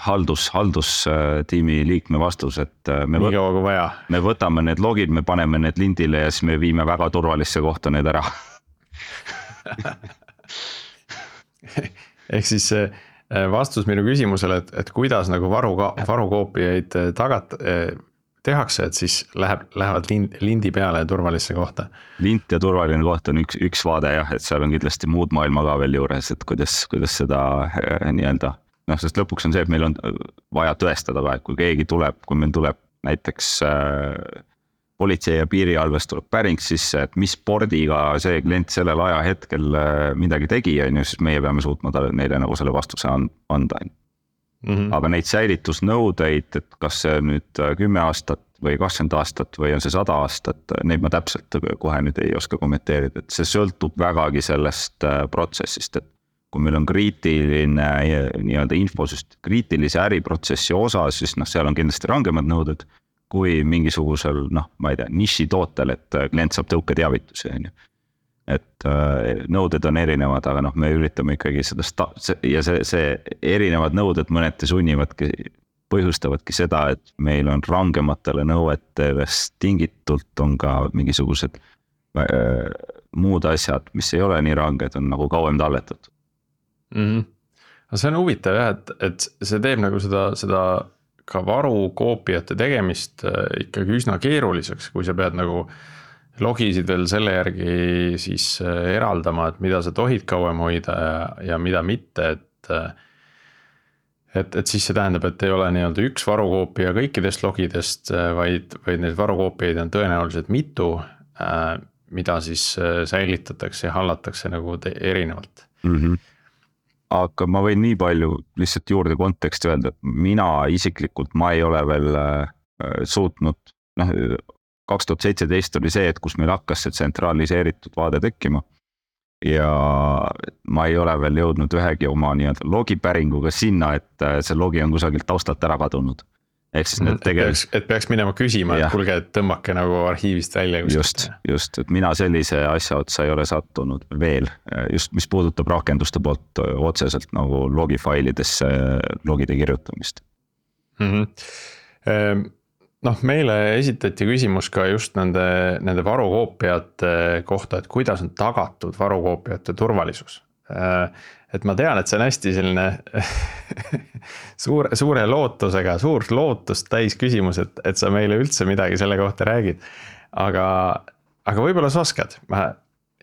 haldus, haldustiimi liikme vastus, et me, võt, vaja. me võtame need logid, me paneme need lindile ja siis me viime väga turvalisse kohta need ära. Ehk siis vastus minu küsimusele, et, et kuidas nagu varu, varukoopiaid tagat, tehakse, et siis läheb, lähevad lind, lindi peale ja turvalisse kohta. Lint ja turvaline koht on üks, üks vaade jah, et seal on kindlasti muud maailma ka veel juures, et kuidas, kuidas seda nii-öelda, noh, sest lõpuks on see, et meil on vaja tõestada ka, et kui keegi tuleb, kui meil tuleb näiteks äh, politsei ja piirialvest tuleb päring sisse, et mis spordiga see klient sellel ajahetkel äh, midagi tegi, on ju, siis meie peame suutma talle, neile nagu selle vastuse anda. Mm-hmm. aga neid säilitusnõudeid, et kas see nüüd kümme aastat või kakskümmend aastat või on see sada aastat, neid ma täpselt kohe nüüd ei oska kommenteerida, et see sõltub vägagi sellest protsessist, et kui meil on kriitiline nii-öelda infosüst, kriitilise äriprotsessi osa, siis noh, seal on kindlasti rangemad nõuded kui mingisugusel, noh, ma ei tea, niši tootel, et klient saab tõuketeavitusi, on ju. Et nõuded on erinevad, aga noh, me üritame ikkagi seda sta- ja see, see erinevad nõuded mõneti sunnivadki, põhjustavadki seda, et meil on rangematele nõuetest tingitult on ka mingisugused äh, muud asjad, mis ei ole nii ranged, on nagu kauem talletatud. Mm-hmm. See on huvitav jah, et, et see teeb nagu seda, seda ka varukoopiate tegemist ikkagi üsna keeruliseks, kui sa pead nagu logisid veel selle järgi siis eraldama, et mida sa tohid kauem hoida ja, ja mida mitte, et, et, et siis see tähendab, et ei ole nii-öelda üks varukoopia kõikidest logidest, vaid, vaid neid varukoopiaid on tõenäoliselt mitu, mida siis säilitatakse ja hallatakse nagu erinevalt. Mm-hmm. Aga ma võin nii palju lihtsalt juurde konteksti öelda, et mina isiklikult ma ei ole veel suutnud, noh, kaks tuhat seitseteist oli see, et kus meil hakkas see tsentraliseeritud vaade tekkima ja ma ei ole veel jõudnud ühegi oma nii-öelda logipäringuga sinna, et see logi on kusagilt taustalt ära kadunud. Ehk siis need tegelikult... Et peaks minema küsima, et kulge, et tõmmake nagu arhiivist välja. Just, just, et mina sellise asja otsa ei ole sattunud veel, just mis puudutab rakenduste poolt otseselt nagu logifailidesse logide kirjutamist. Mm-hmm. Noh, meile esitati küsimus ka just nende, nende varukoopiate kohta, et kuidas on tagatud varukoopiate turvalisus. Et ma tean, et see on hästi selline suure, suure lootusega, suur lootust täis küsimus, et, et sa meile üldse midagi selle kohta räägid. Aga, aga võib-olla sa oskad. Ma,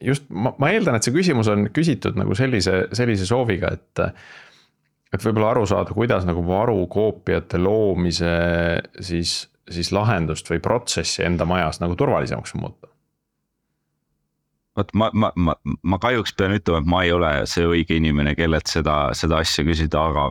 just, ma, ma eeldan, et see küsimus on küsitud nagu sellise, sellise sooviga, et, et võib-olla aru saada, kuidas nagu varukoopiate loomise siis siis lahendust või protsessi enda majas nagu turvalisemaks muuta? Vot ma, ma, ma, ma kahjuks pean ütlema, et ma ei ole see õige inimene, kellelt seda, seda asja küsida, aga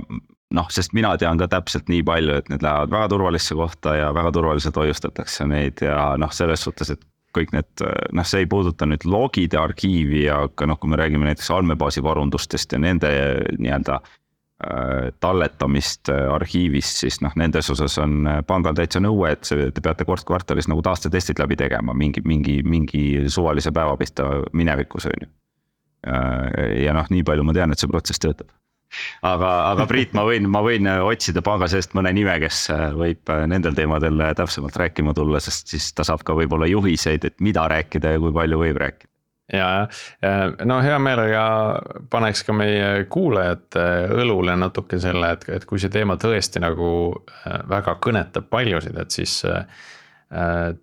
noh, sest mina tean ka täpselt nii palju, et need lähevad väga turvalisse kohta ja väga turvaliselt hoiustatakse neid ja noh, selles suhtes, et kõik need, noh, see ei puuduta nüüd logide arhiivi, aga noh, kui me räägime näiteks andmebaasi varundustest ja nende nii-öelda talletamist arhiivist, siis noh, nendes osas on pangal täitsa nõue, et te peate kord kvartalis nagu taastetestid läbi tegema mingi, mingi, mingi suvalise päeva pihta minevikus on ju. Ja noh, nii palju ma tean, et see protsess töötab. Aga, aga Priit, ma võin, ma võin otsida panga seest mõne nime, kes võib nendel teemadel täpsemalt rääkima tulla, sest siis ta saab ka võib-olla juhiseid, et mida rääkida ja kui palju võib rääkida. Ja, no hea meelega paneks ka meie kuulajate õlule natuke selle, et, et kui see teema tõesti nagu väga kõnetab paljusid, et siis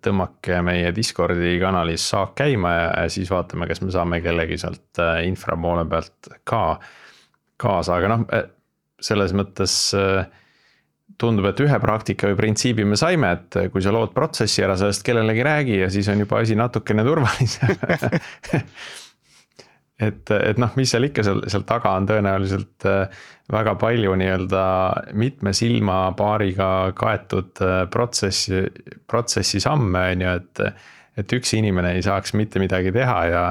tõmmake meie Discordi kanalis saak käima ja siis vaatame, kas me saame kellegi sealt infra poole pealt ka kaasa, aga noh, selles mõttes tundub, et ühe praktika või printsiibi me saime, et kui sa lood protsessi ära, sellest kellelegi räägi ja siis on juba asi natukene turvalisem. et, et noh, mis seal ikka seal, seal taga on tõenäoliselt väga palju nii-öelda mitme silma paariga kaetud protsessi, protsessi samme, on ju, et, et üks inimene ei saaks mitte midagi teha ja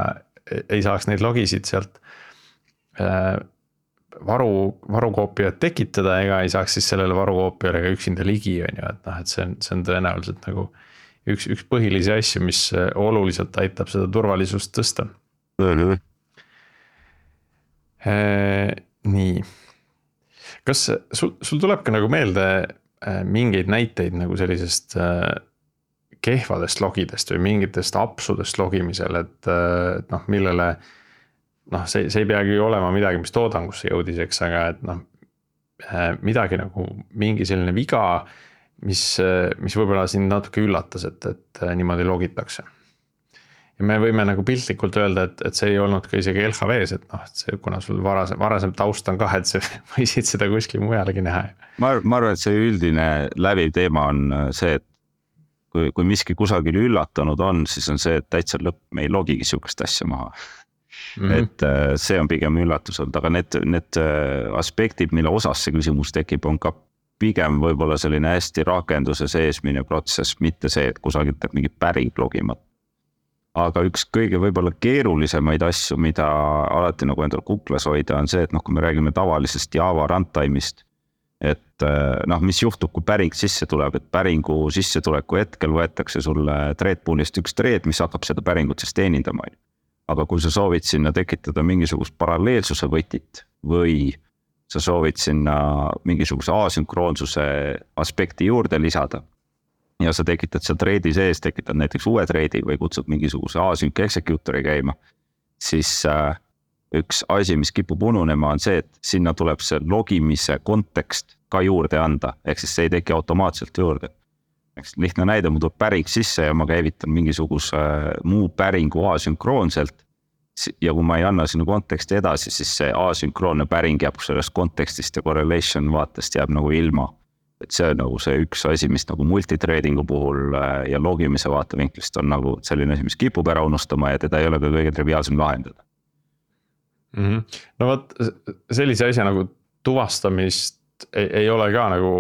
ei saaks neid logisid sealt varu, varukoopiat tekitada ega ei saaks siis sellele varukoopiale ka üksinda ligi, on ju, et noh, et see on, see on tõenäoliselt nagu üks, üks põhilisi asju, mis oluliselt aitab seda turvalisust tõsta. Mm-hmm. Ee, nii. Kas sul, sul tuleb ka nagu meelde mingeid näiteid nagu sellisest kehvadest logidest või mingitest apsudest logimisel, et, et noh, millele noh, see, see ei peagi olema midagi, mis toodangusse jõudis, eks, aga et noh, midagi nagu mingi selline viga, mis, mis võib-olla sind natuke üllatas, et, et niimoodi logitakse. Ja me võime nagu piltlikult öelda, et, et see ei olnud ka isegi L H V-s, et noh, et see, kuna sul varasem, varasem taust on ka, et see võisid seda kuskil mujalegi näha. Ma, ma arvan, et see üldine läbiv teema on see, et kui, kui miski kusagil üllatanud on, siis on see, et täitsa lõpp, me ei logigi sihukest asja maha. mm. et see on pigem üllatus olnud, aga need, need aspektid, mille osas see küsimus tekib, on ka pigem võib-olla selline hästi rakenduse seesmine protsess, mitte see, et kusagilt teeb mingi päring logima. Aga üks kõige võib-olla keerulisemaid asju, mida alati nagu endal kuklas hoida, on see, et noh, kui me räägime tavalisest Java runtime'ist, et noh, mis juhtub, kui päring sisse tuleb, et päringu sissetuleku hetkel võetakse sulle threadpool'ist üks thread, mis hakkab seda päringut siis teenindama. Aga kui sa soovid sinna tekitada mingisugust paralleelsuse võtit või sa soovid sinna mingisuguse asünkroonsuse aspekti juurde lisada ja sa tekitad seal threadi sees, tekitad näiteks uue threadi või kutsud mingisuguse async executor'i käima, siis üks asi, mis kipub ununema, on see, et sinna tuleb see logimise kontekst ka juurde anda, ehk siis see ei teki automaatselt juurde. Lihtne näide, mul tuleb päring sisse ja ma käivitan mingisuguse muu päringu asünkroonselt ja kui ma ei anna sinna konteksti edasi, siis see asünkroonne päring jääb sellest kontekstist ja correlation vaatest jääb nagu ilma. Et see on nagu see üks asi, mis nagu multithreadingu puhul ja logimise vaatevinklist on nagu selline asi, mis kipub ära unustama ja teda ei ole ka kõige triviaalsem lahendada. Mm-hmm. No võt, sellise asja nagu tuvastamist ei, ei ole ka nagu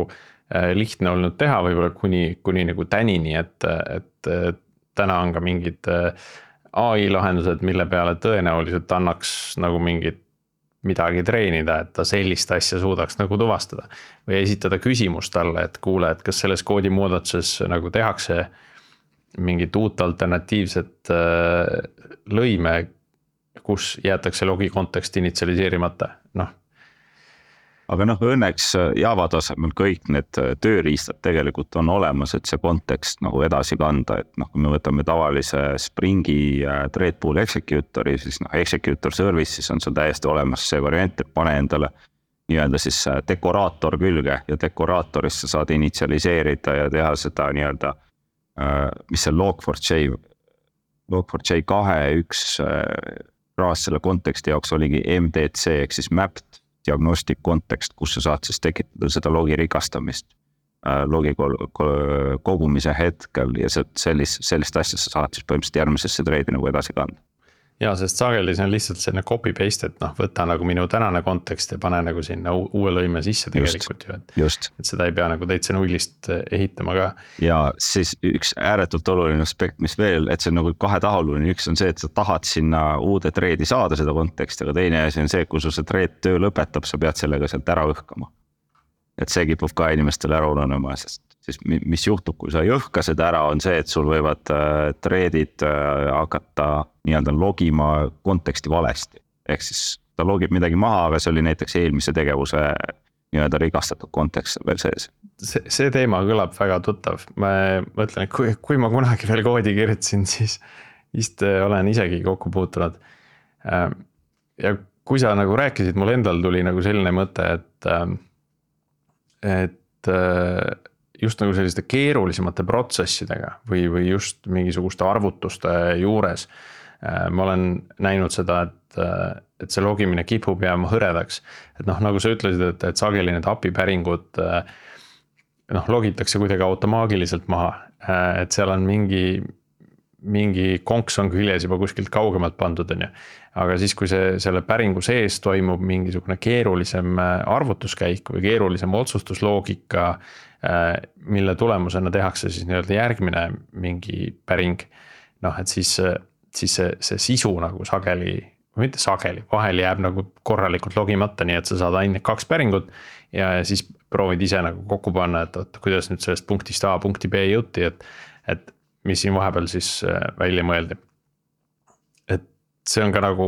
lihtne olnud teha võib-olla kuni, kuni nagu tänini, et, et täna on ka mingid A I lahendused, mille peale tõenäoliselt annaks nagu mingit midagi treenida, et ta sellist asja suudaks nagu tuvastada või esitada küsimust talle, et kuule, et kas selles koodi muudatuses nagu tehakse mingit uut alternatiivset lõime, kus jäetakse logi kontekst initsialiseerimata, noh. Aga noh, õnneks Java tasemel kõik need tööriistad tegelikult on olemas, et see kontekst nagu edasi kanda, et noh, kui me võtame tavalise Springi threadpool executor'i, siis noh, executor services on seal täiesti olemas see variant, et pane endale nii-öelda siis dekoraator külge ja dekoraatorisse saad initsialiseerida ja teha seda nii-öelda, mis see log four j, log four j kahe üks raas selle konteksti jaoks oligi M D C ehk siis mapped diagnostic kontekst, kus sa saad siis tekitada seda logi rikastamist logi kogumise hetkel ja sellist, sellist asja sa saad siis põhimõtteliselt järgmisesse threadi nagu edasi kanda. Ja, sest sageli see on lihtsalt selline copy paste, et noh, võta nagu minu tänane kontekst ja pane nagu sinna uue lõime sisse tegelikult just, ju, et, just. et seda ei pea nagu täitsa nullist ehitama ka. Ja siis üks ääretult oluline aspekt, mis veel, et see on nagu kahetahuline, üks on see, et sa tahad sinna uude threadi saada seda konteksti, aga teine asi on see, kui su see thread töö lõpetab, sa pead sellega sealt ära õhkama. Et see kipub ka inimestele ära ununema, sest siis mis juhtub, kui sa ei õhka seda ära, on see, et sul võivad threadid hakata nii-öelda logima konteksti valesti. Ehk siis ta logib midagi maha, aga see oli näiteks eelmise tegevuse nii-öelda rikastatud kontekst veel sees. See, see teema kõlab väga tuttav. Ma mõtlen, et kui, kui ma kunagi veel koodi kirjutasin, siis vist olen isegi kokku puutunud. Ja kui sa nagu rääkisid, mul endal tuli nagu selline mõte, et, et just nagu selliste keerulisemate protsessidega või, või just mingisuguste arvutuste juures. Ma olen näinud seda, et, et see logimine kipub jääma hõredaks. Et noh, nagu sa ütlesid, et, et sageli need A P I päringud noh, logitakse kuidagi automaagiliselt maha. Et seal on mingi, mingi konks on küljes juba kuskilt kaugemalt pandud. Aga siis, kui see selle päringu sees toimub mingisugune keerulisem arvutuskäik või keerulisem otsustusloogika, mille tulemusena tehakse siis nii-öelda järgmine mingi päring, noh, et siis, siis see, see sisu nagu sageli, või mitte sageli, vahel jääb nagu korralikult logimata, nii et sa saad ainult kaks päringut ja siis proovid ise nagu kokku panna, et, et kuidas nüüd sellest punktist A punkti B jõuti, et, et mis siin vahepeal siis välja mõeldi. Et see on ka nagu,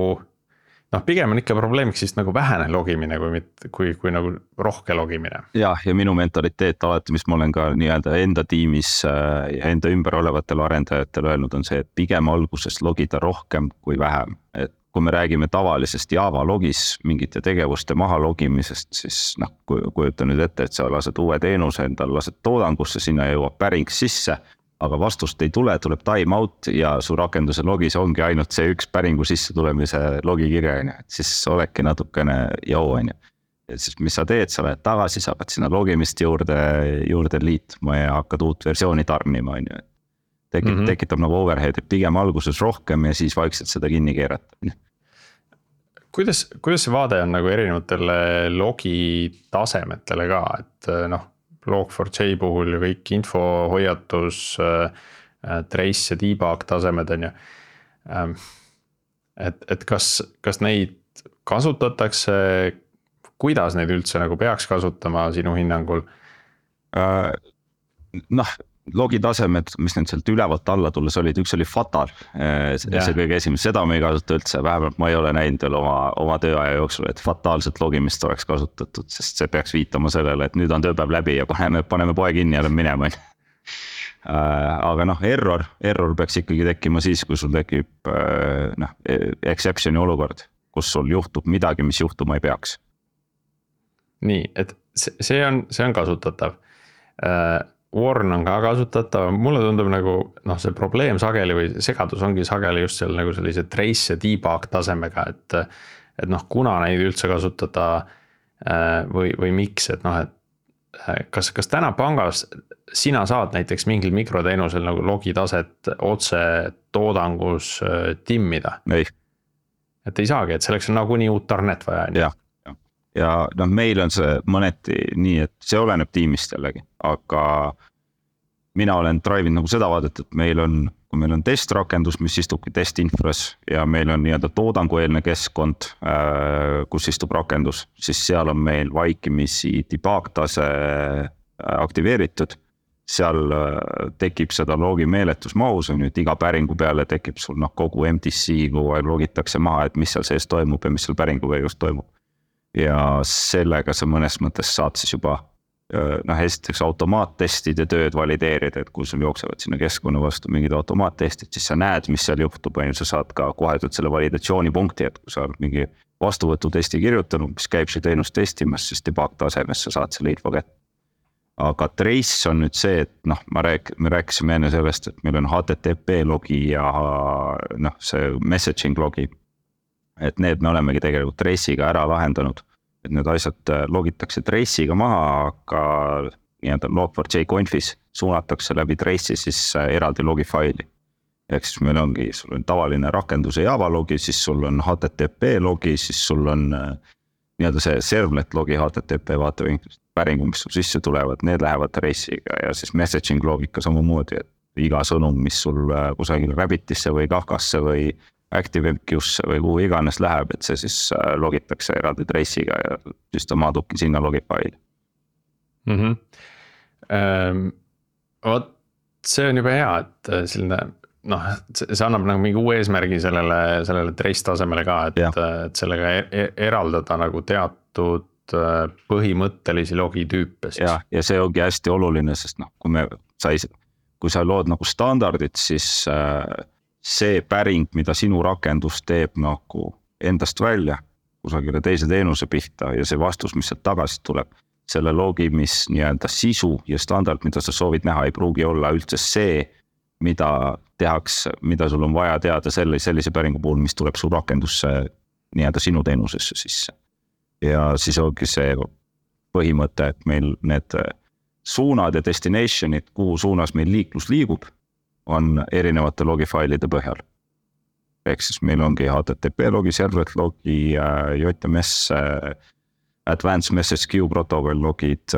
noh, pigem on ikka probleemiks siis nagu vähene logimine, kui, kui, kui nagu rohke logimine. Ja, ja minu mentaliteet alati, mis ma olen ka nii-öelda enda tiimis ja enda ümber olevatel arendajatel öelnud, on see, et pigem alguses logida rohkem kui vähem. Et kui me räägime tavalisest Java logis mingite tegevuste maha logimisest, siis noh, kujuta nüüd ette, et sa lased uue teenuse, endal lased toodangusse, sinna jõuab päring sisse, aga vastust ei tule, tuleb time out ja su rakenduse logis ongi ainult see üks päringu sisse tulemise logikirja, et siis oledki natukene jau, on ju. Et siis mis sa teed, sa lähed tagasi, sa hakkad sinna logimist juurde, juurde liitma ja hakkad uut versiooni tarnima, on ju. Tekib, mm-hmm. tekitab nagu overhead, et pigem alguses rohkem ja siis vaikselt seda kinni keerata. kuidas, kuidas see vaade on nagu erinevatele logi tasemetele ka, et noh, log four j puhul ju kõik info, hoiatus, trace ja debug tasemed on ju. Et, et kas, kas neid kasutatakse, kuidas neid üldse nagu peaks kasutama sinu hinnangul? Noh, logi tasemed, mis need sealt ülevalt alla tulles olid, üks oli fatal, see yeah. kõige esimene, seda me ei kasuta üldse, vähemalt ma ei ole näinud veel oma, oma tööaja jooksul, et fataalset logimist oleks kasutatud, sest see peaks viitama sellele, et nüüd on tööpäev läbi ja paneme, paneme poe kinni ja lähme minema. Aga noh, error, error peaks ikkagi tekkima siis, kui sul tekib noh, exception'i olukord, kus sul juhtub midagi, mis juhtuma ei peaks. Nii, et see on, see on kasutatav. Warn on ka kasutatav, mulle tundub nagu noh, see probleem sageli või segadus ongi sageli just seal nagu sellise trace ja debug tasemega, et, et noh, kuna neid üldse kasutada või, või miks, et noh, et kas, kas täna pangas sina saad näiteks mingil mikroteenusel nagu logi taset otse toodangus timmida? Ei. Et ei saagi, et selleks on nagunii uut tarnet vaja. Jah. Ja noh, meil on see mõneti nii, et see oleneb tiimist jällegi, aga mina olen drive'inud nagu seda vaadet, et meil on, kui meil on testrakendus, mis istubki testinfras ja meil on nii-öelda toodangueelne keskkond, kus istub rakendus, siis seal on meil vaikimisi debug tase aktiveeritud. Seal tekib seda logi meeletusmahus, on nüüd iga päringu peale tekib sul noh, kogu M D C, kui logitakse maha, et mis seal sees toimub ja mis seal päringu käigus toimub. Ja sellega sa mõnes mõttes saad siis juba noh, esiteks automaattestide tööd valideerida, et kui sul jooksevad sinna keskkonna vastu mingid automaattestid, siis sa näed, mis seal juhtub, ja sa saad ka kohe selle validatsioonipunkti, et kui sa oled mingi vastuvõtutesti kirjutanud, mis käib see teenus testimas, siis debug tasemes sa saad selle info kätte. Aga trace on nüüd see, et noh, ma rääk, me rääkisime enne sellest, et meil on H T T P logi ja noh, see messaging logi. Et need me olemegi tegelikult trace'iga ära lahendanud, et need asjad logitakse trace'iga maha, aga nii-öelda log four j confis suunatakse läbi trace'i siis eraldi logi faili. Ehk siis meil ongi, sul on tavaline rakenduse Java logi, siis sul on H T T P logi, siis sul on nii-öelda see servlet logi H T T P vaatevinklist päringu, mis sul sisse tulevad, need lähevad trace'iga ja siis messaging logika samamoodi, et iga sõnum, mis sul kusagil Rabbitisse või Kafkasse või ActiveMQ'sse või kuhu iganes läheb, et see siis logitakse eraldi trace'iga ja siis ta maadubki sinna logifaili. Mm-hmm. Ähm, Vot see on juba hea, et selline, noh, see annab nagu mingi uue eesmärgi sellele, sellele trace tasemele ka, et, et sellega eraldada nagu teatud põhimõttelisi logitüüpe. Ja, ja see ongi hästi oluline, sest noh, kui me sai, kui sa lood nagu standardid, siis see päring, mida sinu rakendus teeb nagu endast välja kusagile teise teenuse pihta ja see vastus, mis sealt tagasi tuleb, selle logi, mis nii-öelda sisu ja standard, mida sa soovid näha, ei pruugi olla üldse see, mida tehakse, mida sul on vaja teada selle, sellise päringu puhul, mis tuleb su rakendusse nii-öelda sinu teenusesse sisse. Ja siis ongi see põhimõte, et meil need suunad ja destinationid, kuhu suunas meil liiklus liigub, on erinevate logifailide põhjal. Ehk siis meil ongi H T T P logi, servlet logi, J M S, Advanced Message Queue protocol logid,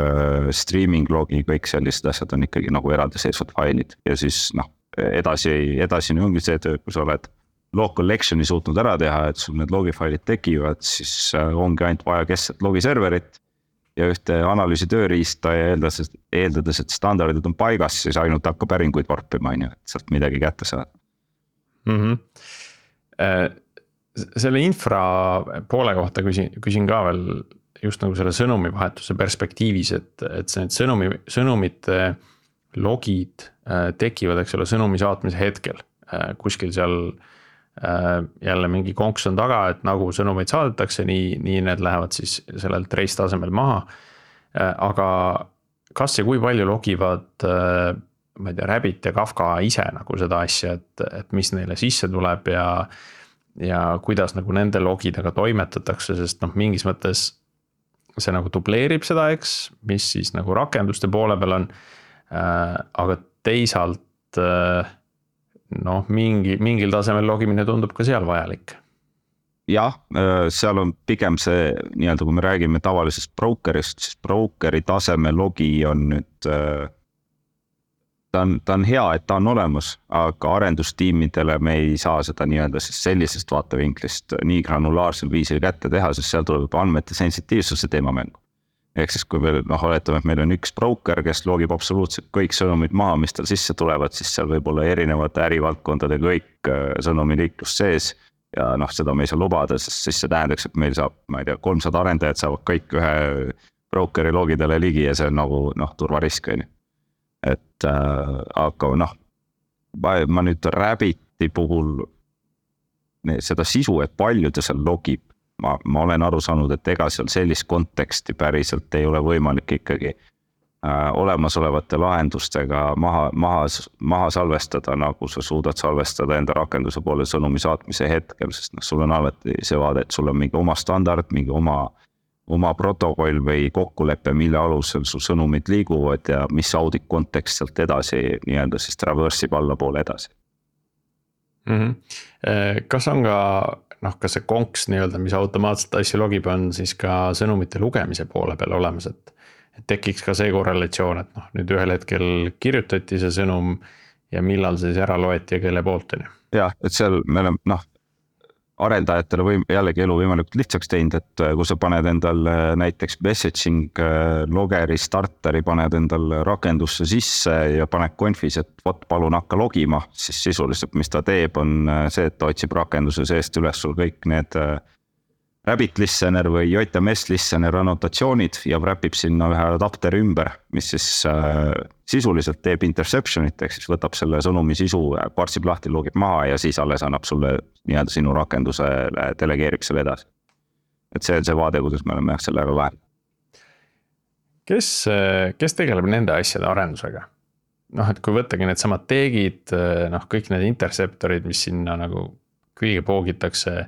streaming logi, kõik sellised asjad on ikkagi nagu eraldi seisvad failid. Ja siis noh, edasi, edasi ongi see töö, kui sa oled log collection'i suutnud ära teha, et sul need logifailid tekivad, siis ongi ainult vaja kestset logiserverit ja ühte analüüsi tööriista ja eeldades, eeldades, et standardid on paigas, siis ainult hakka päringuid varpima, et sealt midagi kätte saada. Mm-hmm. Selle infra poole kohta küsin, küsin ka veel just nagu selle sõnumi vahetuse perspektiivis, et, et see need sõnumi, sõnumite logid tekivad, eks ole, sõnumi saatmise hetkel. Kuskil seal jälle mingi konks on taga, et nagu sõnumeid saadetakse, nii, nii need lähevad siis sellel trace tasemel maha. Aga kas ja kui palju logivad, ma ei tea, Rabbit ja Kafka ise nagu seda asja, et, et mis neile sisse tuleb ja, ja kuidas nagu nende logidega toimetatakse, sest noh, mingis mõttes see nagu dubleerib seda, eks, mis siis nagu rakenduste poole peal on, aga teisalt noh, mingi, mingil tasemel logimine tundub ka seal vajalik. jah, seal on pigem see nii-öelda, kui me räägime tavalisest brokerist, siis brokeri taseme logi on nüüd, ta on, ta on hea, et ta on olemas, aga arendustiimidele me ei saa seda nii-öelda siis sellisest vaatevinklist nii granulaarsel viisil kätte teha, sest seal tuleb andmete sensitiivsuse teema mängu. Ehk siis kui meil, noh, oletame, et meil on üks broker, kes logib absoluutselt kõik sõnumid maha, mis tal sisse tulevad, siis seal võib olla erinevate ärivaldkondade kõik sõnumiliiklus sees. Ja noh, seda me ei saa lubada, sest siis see tähendaks, et meil saab, ma ei tea, kolmsada arendajad saavad kõik ühe brokeri logidele ligi ja see on nagu, noh, turvarisk. Et äh, aga noh, ma, ma nüüd Rabbiti puhul seda sisu, et palju ta seal logib, ma, ma olen aru saanud, et ega seal sellist konteksti päriselt ei ole võimalik ikkagi äh, olemasolevate lahendustega maha, maha, maha salvestada, nagu sa suudad salvestada enda rakenduse poole sõnumi saatmise hetkel, sest noh, sul on alati see vaade, et sul on mingi oma standard, mingi oma, oma protokoll või kokkulepe, mille alusel su sõnumid liiguvad ja mis audit kontekst sealt edasi nii-öelda siis traversib alla poole edasi. Mm-hmm. Kas on ka noh, kas see konks nii-öelda, mis automaatselt asju logib, on siis ka sõnumite lugemise poole peal olemas, et, et tekiks ka see korrelatsioon, et noh, nüüd ühel hetkel kirjutati see sõnum ja millal see siis ära loeti ja kelle poolt on ju. Jah, et seal me oleme noh, arendajatele või jällegi elu võimalikult lihtsaks teinud, et kui sa paned endal näiteks messaging logeri starteri, paned endal rakendusse sisse ja paned konfis, et vot palun hakka logima, siis sisuliselt mis ta teeb on see, et ta otsib rakenduse seest üles sul kõik need Rabbit listener või J M S listener annotatsioonid ja wrapib sinna ühe adapteri ümber, mis siis äh, sisuliselt teeb interceptionit, ehk siis võtab selle sõnumi sisu, parsib lahti, logib maha ja siis alles annab sulle nii-öelda sinu rakendusele, delegeerib selle edasi. Et see on see vaade, kuidas me oleme sellega vahel. Kes, kes tegeleb nende asjade arendusega? Noh, et kui võttagi need samad teegid, noh, kõik need interceptorid, mis sinna nagu külge poogitakse,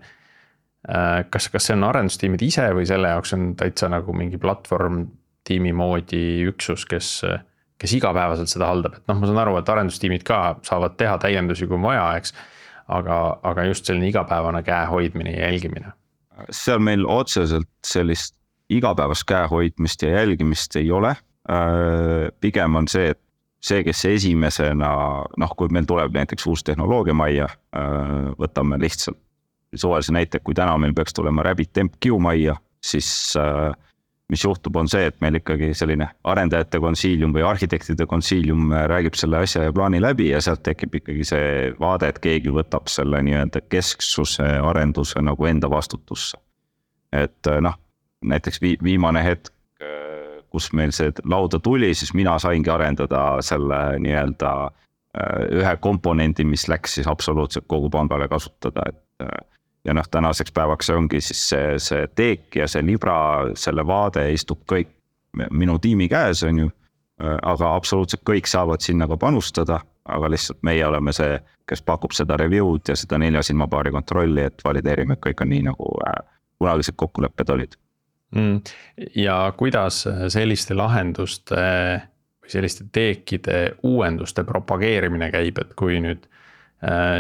Kas, kas see on arendustiimid ise või selle jaoks on täitsa nagu mingi platvorm tiimi moodi üksus, kes, kes igapäevaselt seda haldab, et noh, ma saan aru, et arendustiimid ka saavad teha täiendusi kui vaja, eks, aga, aga just selline igapäevane käe hoidmine ja jälgimine. Seal meil otseselt sellist igapäevast käe hoidmist ja jälgimist ei ole, pigem on see, et see, kes esimesena, noh, kui meil tuleb näiteks uus tehnoloogia majja, võtame lihtsalt suvalise näite, kui täna meil peaks tulema Rabbit M Q majja, siis äh, mis juhtub on see, et meil ikkagi selline arendajate konsiilium või arhitektide konsiilium räägib selle asja ja plaani läbi ja sealt tekib ikkagi see vaade, et keegi võtab selle nii-öelda kesksuse arenduse nagu enda vastutusse. Et noh, näiteks vi- viimane hetk, kus meil see lauda tuli, siis mina saingi arendada selle nii-öelda ühe komponendi, mis läks siis absoluutselt kogu pangale kasutada, et ja noh, tänaseks päevaks see ongi siis see, see teek ja see libra, selle vaade istub kõik minu tiimi käes on ju, aga absoluutselt kõik saavad sinna ka panustada, aga lihtsalt meie oleme see, kes pakub seda review'd ja seda nelja silmapaari kontrolli, et valideerime, et kõik on nii nagu kunagised kokkulepped olid. Mm. Ja kuidas selliste lahenduste või selliste teekide uuenduste propageerimine käib, et kui nüüd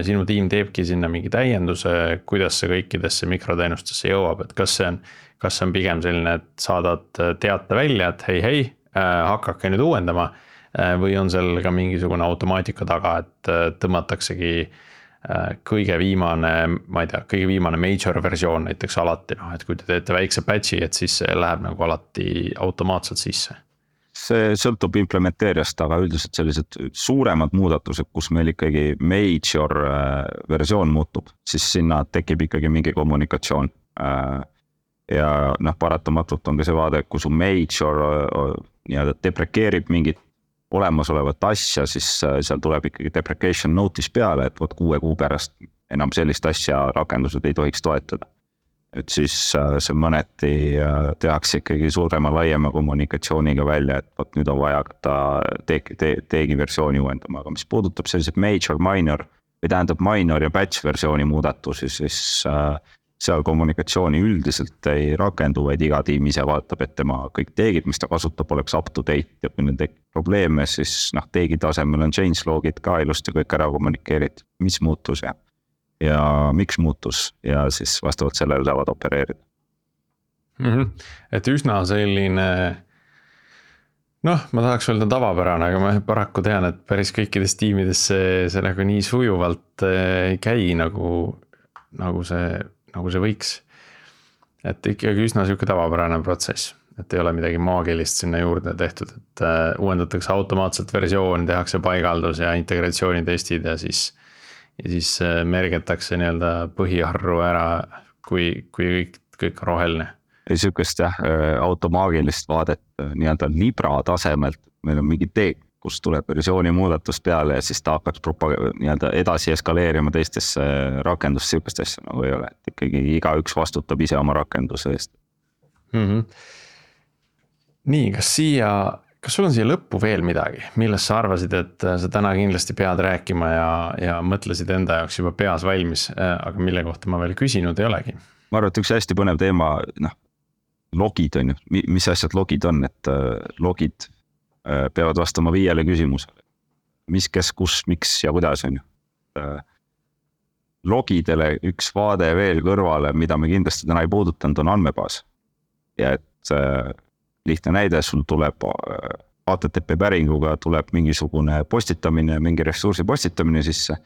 sinu tiim teebki sinna mingi täienduse, kuidas see kõikidesse mikroteenustesse jõuab, et kas see on, kas see on pigem selline, et saadad teate välja, et hei, hei, hakake nüüd uuendama või on seal ka mingisugune automaatika taga, et tõmmataksegi kõige viimane, ma ei tea, kõige viimane major versioon näiteks alati, noh, et kui te teete väikse patchi, et siis see läheb nagu alati automaatselt sisse. See sõltub implementeerijast, aga üldiselt sellised suuremad muudatused, kus meil ikkagi major versioon muutub, siis sinna tekib ikkagi mingi kommunikatsioon. Ja noh, paratamatult on ka see vaade, kui su major nii-öelda deprekeerib mingit olemasolevat asja, siis seal tuleb ikkagi deprecation notice peale, et võt kuue kuu pärast enam sellist asja rakendused ei tohiks toetada. Et siis see mõneti tehakse ikkagi suurema laiema kommunikatsiooniga välja, et võt nüüd on vaja ta teegi, te, teegi versiooni uuendama, aga mis puudutab sellised major, minor või tähendab minor ja batch versiooni muudatusi, siis seal kommunikatsiooni üldiselt ei rakendu, vaid iga tiim ise vaatab, et tema kõik teegid, mis ta kasutab, oleks up to date ja kui need tekib probleeme, siis noh, teegi tasemel on change logid ka ilusti kõik ära kommunikeerid, mis muutus ja ja miks muutus ja siis vastavalt sellele saavad opereerida mm. -hmm. Et üsna selline, noh, ma tahaks öelda tavapärane, aga ma paraku tean, et päris kõikides tiimides see, see nagu nii sujuvalt ei käi nagu, nagu see, nagu see võiks. Et ikkagi üsna siuke tavapärane protsess, et ei ole midagi maagilist sinna juurde tehtud, et uuendatakse automaatselt versioon, tehakse paigaldus ja integratsioonitestid ja siis, ja siis mergetakse nii-öelda põhiarru ära, kui, kui kõik, kõik on roheline. Ei sükest jah, automaagilist vaadet nii-öelda libra tasemelt, meil on mingi teek, kus tuleb versiooni muudatus peale ja siis ta hakkaks propag- nii-öelda edasi eskaleerima teistesse rakendust, sükest asja nagu ei ole, et ikkagi igaüks vastutab ise oma rakenduse eest. Mm -hmm. Nii, kas siia, kas sul on siia lõppu veel midagi, millest sa arvasid, et sa täna kindlasti pead rääkima ja, ja mõtlesid enda jaoks juba peas valmis, aga mille kohta ma veel küsinud ei olegi? Ma arvan, et üks hästi põnev teema, noh, logid on ju, mis asjad logid on, et logid peavad vastama viiele küsimusele. Mis, kes, kus, miks ja kuidas on ju. Logidele üks vaade veel kõrvale, mida me kindlasti täna ei puudutanud, on andmebaas. Ja et lihtne näide, sul tuleb H T T P päringuga tuleb mingisugune postitamine, mingi ressursi postitamine sisse.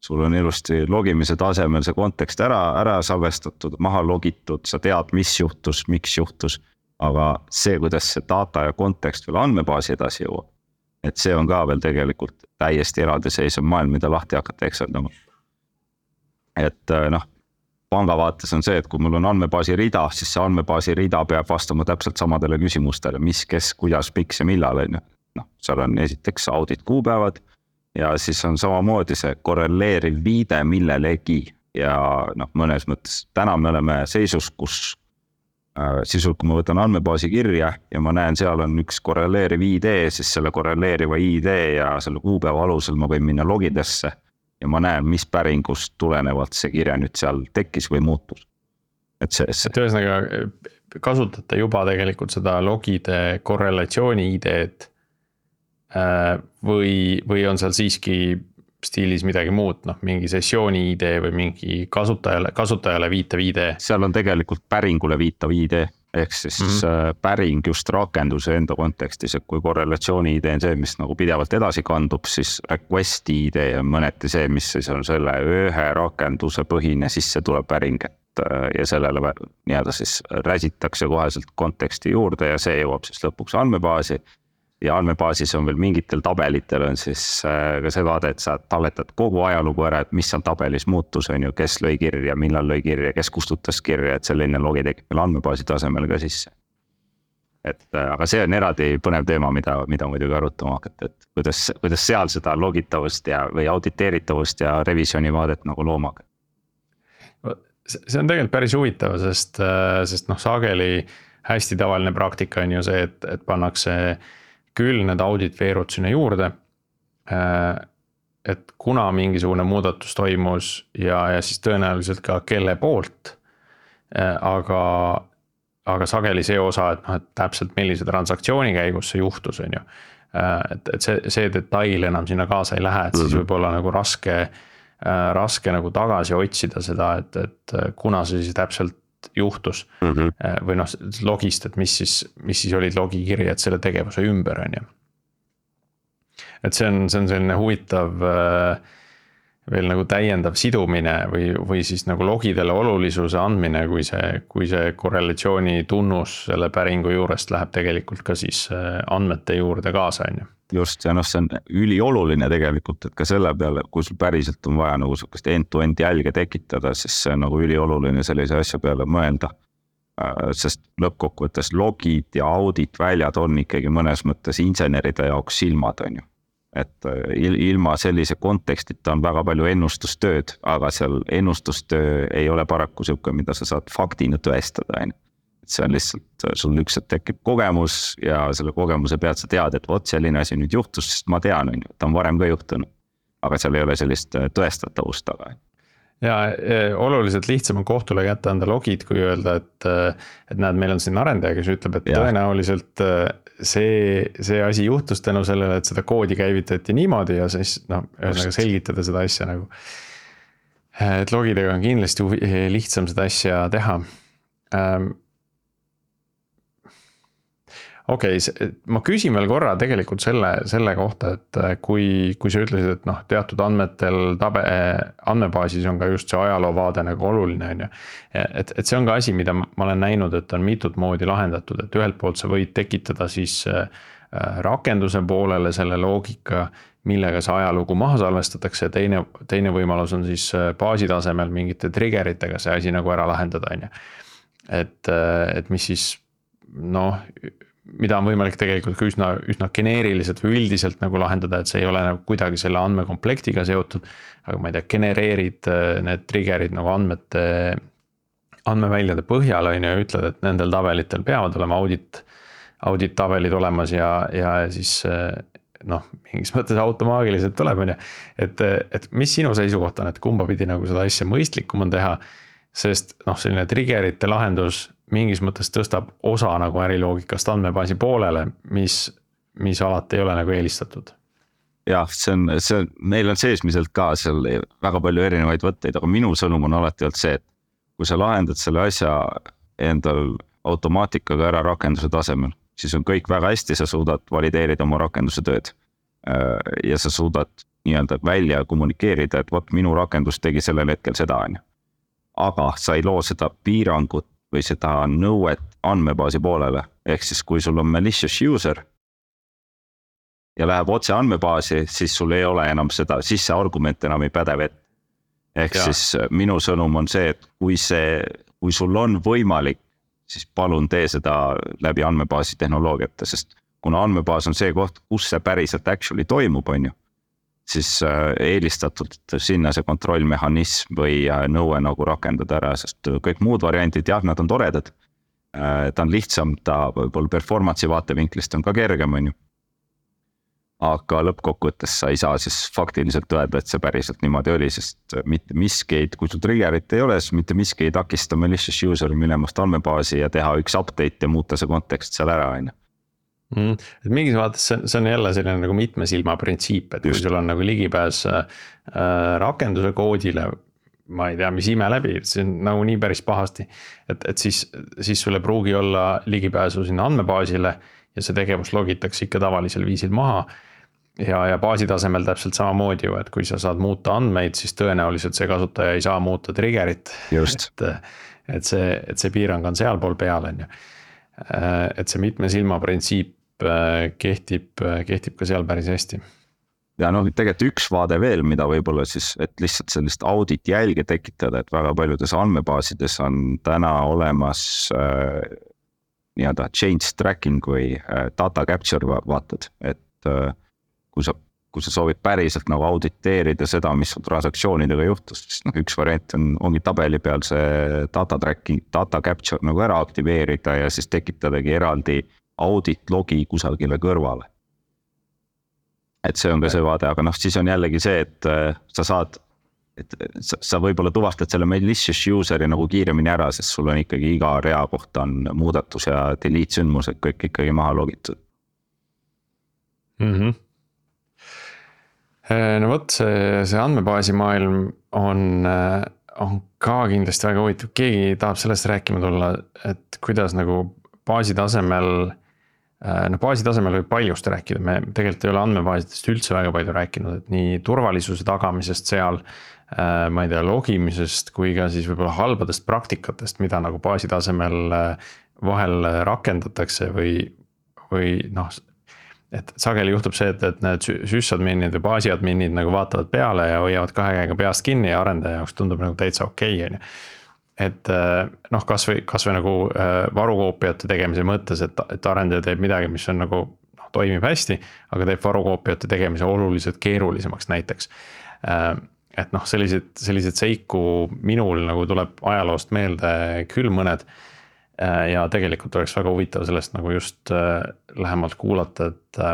Sul on ilusti logimise tasemel see kontekst ära, ära salvestatud, maha logitud, sa tead, mis juhtus, miks juhtus. Aga see, kuidas see data ja kontekst veel andmebaasi edasi jõuab, et see on ka veel tegelikult täiesti eraldiseisev maailm, mida lahti hakata eksendama. Et noh, panga vaates on see, et kui mul on andmebaasi rida, siis see andmebaasi rida peab vastama täpselt samadele küsimustele, mis, kes, kuidas, miks ja millal on ju. Noh, seal on esiteks audit kuupäevad ja siis on samamoodi see korreleeriv viide millelegi ja noh, mõnes mõttes täna me oleme seisus, kus sisult, kui ma võtan andmebaasi kirja ja ma näen, seal on üks korreleeriv I D, siis selle korreleeriva I D ja selle kuupäeva alusel ma võin minna logidesse ja ma näen, mis päringust tulenevalt see kirja nüüd seal tekkis või muutus. Et see, see. Et ühesõnaga kasutate juba tegelikult seda logide korrelatsiooni I D-d või, või on seal siiski stiilis midagi muud, noh, mingi sessiooni I D või mingi kasutajale, kasutajale viitav I D. Seal on tegelikult päringule viitav I D, ehk siis mm -hmm. päring just rakenduse enda kontekstis, et kui korrelatsiooni I D on see, mis nagu pidevalt edasi kandub, siis request I D on mõneti see, mis siis on selle ühe rakenduse põhine, siis see tuleb päring, et ja sellele nii-öelda siis räsitakse koheselt konteksti juurde ja see jõuab siis lõpuks andmebaasi. Ja andmebaasis on veel mingitel tabelitel on siis ka see vaade, et sa talletad kogu ajalugu ära, et mis seal tabelis muutus on ju, kes lõi kirja, millal lõi kirja, kes kustutas kirja, et selline logi tekib meil andmebaasi tasemel ka sisse. Et aga see on eraldi põnev teema, mida, mida muidugi arutama hakata, et kuidas, kuidas seal seda logitavust ja, või auditeeritavust ja revisjoni vaadet nagu looma hakata. See on tegelikult päris huvitav, sest, sest noh, sageli hästi tavaline praktika on ju see, et, et pannakse küll need audit veerud sinna juurde, et kuna mingisugune muudatus toimus ja, ja siis tõenäoliselt ka kelle poolt, aga, aga sageli see osa, et noh, et täpselt millise transaktsiooni käigus see juhtus, on ju. Et, et see, see detail enam sinna kaasa ei lähe, et siis võib olla nagu raske, raske nagu tagasi otsida seda, et, et kuna see siis täpselt juhtus mm -hmm. või noh, logist, et mis siis, mis siis olid logikirjad selle tegevuse ümber, on ju. Et see on, see on selline huvitav veel nagu täiendav sidumine või, või siis nagu logidele olulisuse andmine, kui see, kui see korrelatsiooni tunnus selle päringu juurest läheb tegelikult ka siis andmete juurde kaasa, on ju. Just, ja noh, see on ülioluline tegelikult, et ka selle peale, kui sul päriselt on vaja nagu sellist end-to-end jälge tekitada, siis see on nagu ülioluline sellise asja peale mõelda. Sest lõppkokkuvõttes logid ja audit väljad on ikkagi mõnes mõttes inseneride jaoks silmad, on ju. Et ilma sellise kontekstita on väga palju ennustustööd, aga seal ennustustöö ei ole paraku siuke, mida sa saad faktina tõestada, on ju. See on lihtsalt, sul üks tekib kogemus ja selle kogemuse pealt sa tead, et vot selline asi nüüd juhtus, sest ma tean, on ju, ta on varem ka juhtunud. Aga seal ei ole sellist tõestatavust taga. Ja oluliselt lihtsam on kohtule kätte anda logid, kui öelda, et, et näed, meil on siin arendaja, kes ütleb, et ja. Tõenäoliselt see, see asi juhtus tänu sellele, et seda koodi käivitati niimoodi ja siis noh, ühesõnaga selgitada seda asja nagu et logidega on kindlasti lihtsam seda asja teha. Okei, okay, ma küsin veel korra tegelikult selle, selle kohta, et kui, kui sa ütlesid, et noh, teatud andmetel tabe, andmebaasis on ka just see ajaloovaade nagu oluline on ju. Et, et see on ka asi, mida ma olen näinud, et on mitut moodi lahendatud, et ühelt poolt sa võid tekitada siis rakenduse poolele selle loogika, millega see ajalugu maha salvestatakse ja teine, teine võimalus on siis baasi tasemel mingite triggeritega see asi nagu ära lahendada on ju. Et, et mis siis noh, mida on võimalik tegelikult ka üsna, üsna geneeriliselt või üldiselt nagu lahendada, et see ei ole nagu kuidagi selle andmekomplektiga seotud, aga ma ei tea, genereerid need triggerid nagu andmete, andmeväljade põhjal on ju ja ütled, et nendel tabelitel peavad olema audit, audit tabelid olemas ja, ja siis noh, mingis mõttes automaagiliselt tuleb on ju, et, et mis sinu seisukoht on, et kumba pidi nagu seda asja mõistlikum on teha, sest noh, selline triggerite lahendus mingis mõttes tõstab osa nagu äriloogikast andmebaasi poolele, mis, mis alati ei ole nagu eelistatud. Jah, see on, see on, meil on seesmiselt ka seal väga palju erinevaid võtteid, aga minu sõnum on alati olnud see, et kui sa lahendad selle asja endal automaatikaga ära rakenduse tasemel, siis on kõik väga hästi, sa suudad valideerida oma rakenduse tööd. Ja sa suudad nii-öelda välja kommunikeerida, et vot minu rakendus tegi sellel hetkel seda on. Aga sa ei loo seda piirangut või seda nõuet andmebaasi poolele. Ehk siis kui sul on malicious user ja läheb otse andmebaasi, siis sul ei ole enam seda, siis see argument enam ei päde vett. Ehk ja. Siis minu sõnum on see, et kui, see, kui sul on võimalik, siis palun tee seda läbi andmebaasi tehnoloogiate, sest kuna andmebaas on see koht, kus see päriselt actually toimub, on ju, siis eelistatult sinna see kontrollmehhanism või nõue nagu rakendada ära, sest kõik muud variandid, jah, nad on toredad. Ta on lihtsam, ta võib-olla performance'i vaatevinklist on ka kergem, on ju. Aga lõppkokkuvõttes sa ei saa siis faktiliselt öelda, et see päriselt niimoodi oli, sest mitte miski ei, kui sul triggerit ei ole, siis mitte miski ei takista malicious user minemast andmebaasi ja teha üks update ja muuta see kontekst seal ära, on ju. Mm, et mingis vaates see, see on jälle selline nagu mitme silma printsiip, et kui sul on nagu ligipääs äh, rakenduse koodile, ma ei tea, mis ime läbi, see on nagu nii päris pahasti, et, et siis, siis sul ei pruugi olla ligipääsu sinna andmebaasile ja see tegevus logitakse ikka tavalisel viisil maha ja, ja baasi tasemel täpselt samamoodi ju, et kui sa saad muuta andmeid, siis tõenäoliselt see kasutaja ei saa muuta triggerit, et, et, see, et see piirang on sealpool peal on ju. Et see mitme silma printsiip kehtib, kehtib ka seal päris hästi. Ja noh, tegelikult üks vaade veel, mida võib-olla siis, et lihtsalt sellist audit jälge tekitada, et väga paljudes andmebaasides on täna olemas äh, nii-öelda change tracking või äh, data capture vaatad, et äh, kui sa, kui sa soovid päriselt nagu auditeerida seda, mis transaktsioonidega juhtus, siis noh, üks variant on, ongi tabeli peal see data tracking, data capture nagu ära aktiveerida ja siis tekitadagi eraldi audit logi kusagile kõrvale. Et see on ka see vaade, aga noh, siis on jällegi see, et sa saad, et sa, sa võib-olla tuvastad selle malicious useri nagu kiiremini ära, sest sul on ikkagi iga rea kohta on muudatus ja delete sündmused kõik ikkagi maha logitud. Mm-hmm. No võt, see, see andmebaasi maailm on, on ka kindlasti väga huvitav. Keegi tahab sellest rääkima tulla, et kuidas nagu baasi tasemel No baasi tasemel võib paljust rääkida, me tegelikult ei ole andmebaasidest üldse väga palju rääkinud, et nii turvalisuse tagamisest seal, ma ei tea, logimisest kui ka siis võib-olla halbadest praktikatest, mida nagu baasi tasemel vahel rakendatakse või, või noh, et sageli juhtub see, et, et need sysadminid või baasiadminid nagu vaatavad peale ja hoiavad kahe käega peast kinni ja arendaja jaoks tundub nagu täitsa okei, on ju. Et noh, kas või, kas või nagu varukoopiate tegemise mõttes, et, et arendaja teeb midagi, mis on nagu noh, toimib hästi, aga teeb varukoopiate tegemise oluliselt keerulisemaks näiteks. Et noh, sellised, sellised seiku minul nagu tuleb ajaloost meelde küll mõned ja tegelikult oleks väga huvitav sellest nagu just lähemalt kuulata, et,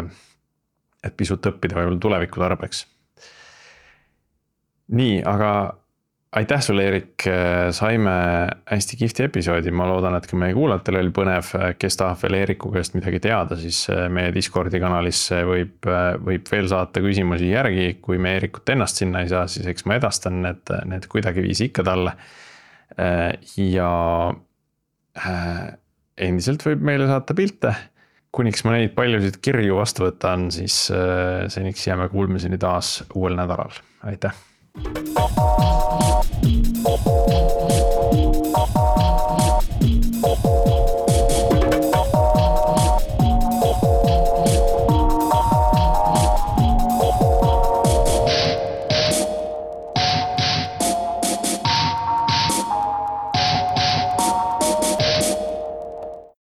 et pisut õppida võib-olla tuleviku tarbeks. Nii, aga aitäh sulle, Erik, saime hästi kihvti episoodi, ma loodan, et ka meie kuulajatel oli põnev, kes tahab veel Eeriku käest midagi teada, siis meie Discordi kanalisse võib, võib veel saata küsimusi järgi, kui me Eerikut ennast sinna ei saa, siis eks ma edastan need, need kuidagiviisi ikka talle. Ja endiselt võib meile saata pilte, kuniks ma neid paljusid kirju vastu võtan, siis seniks jääme kuulmiseni taas uuel nädalal, aitäh!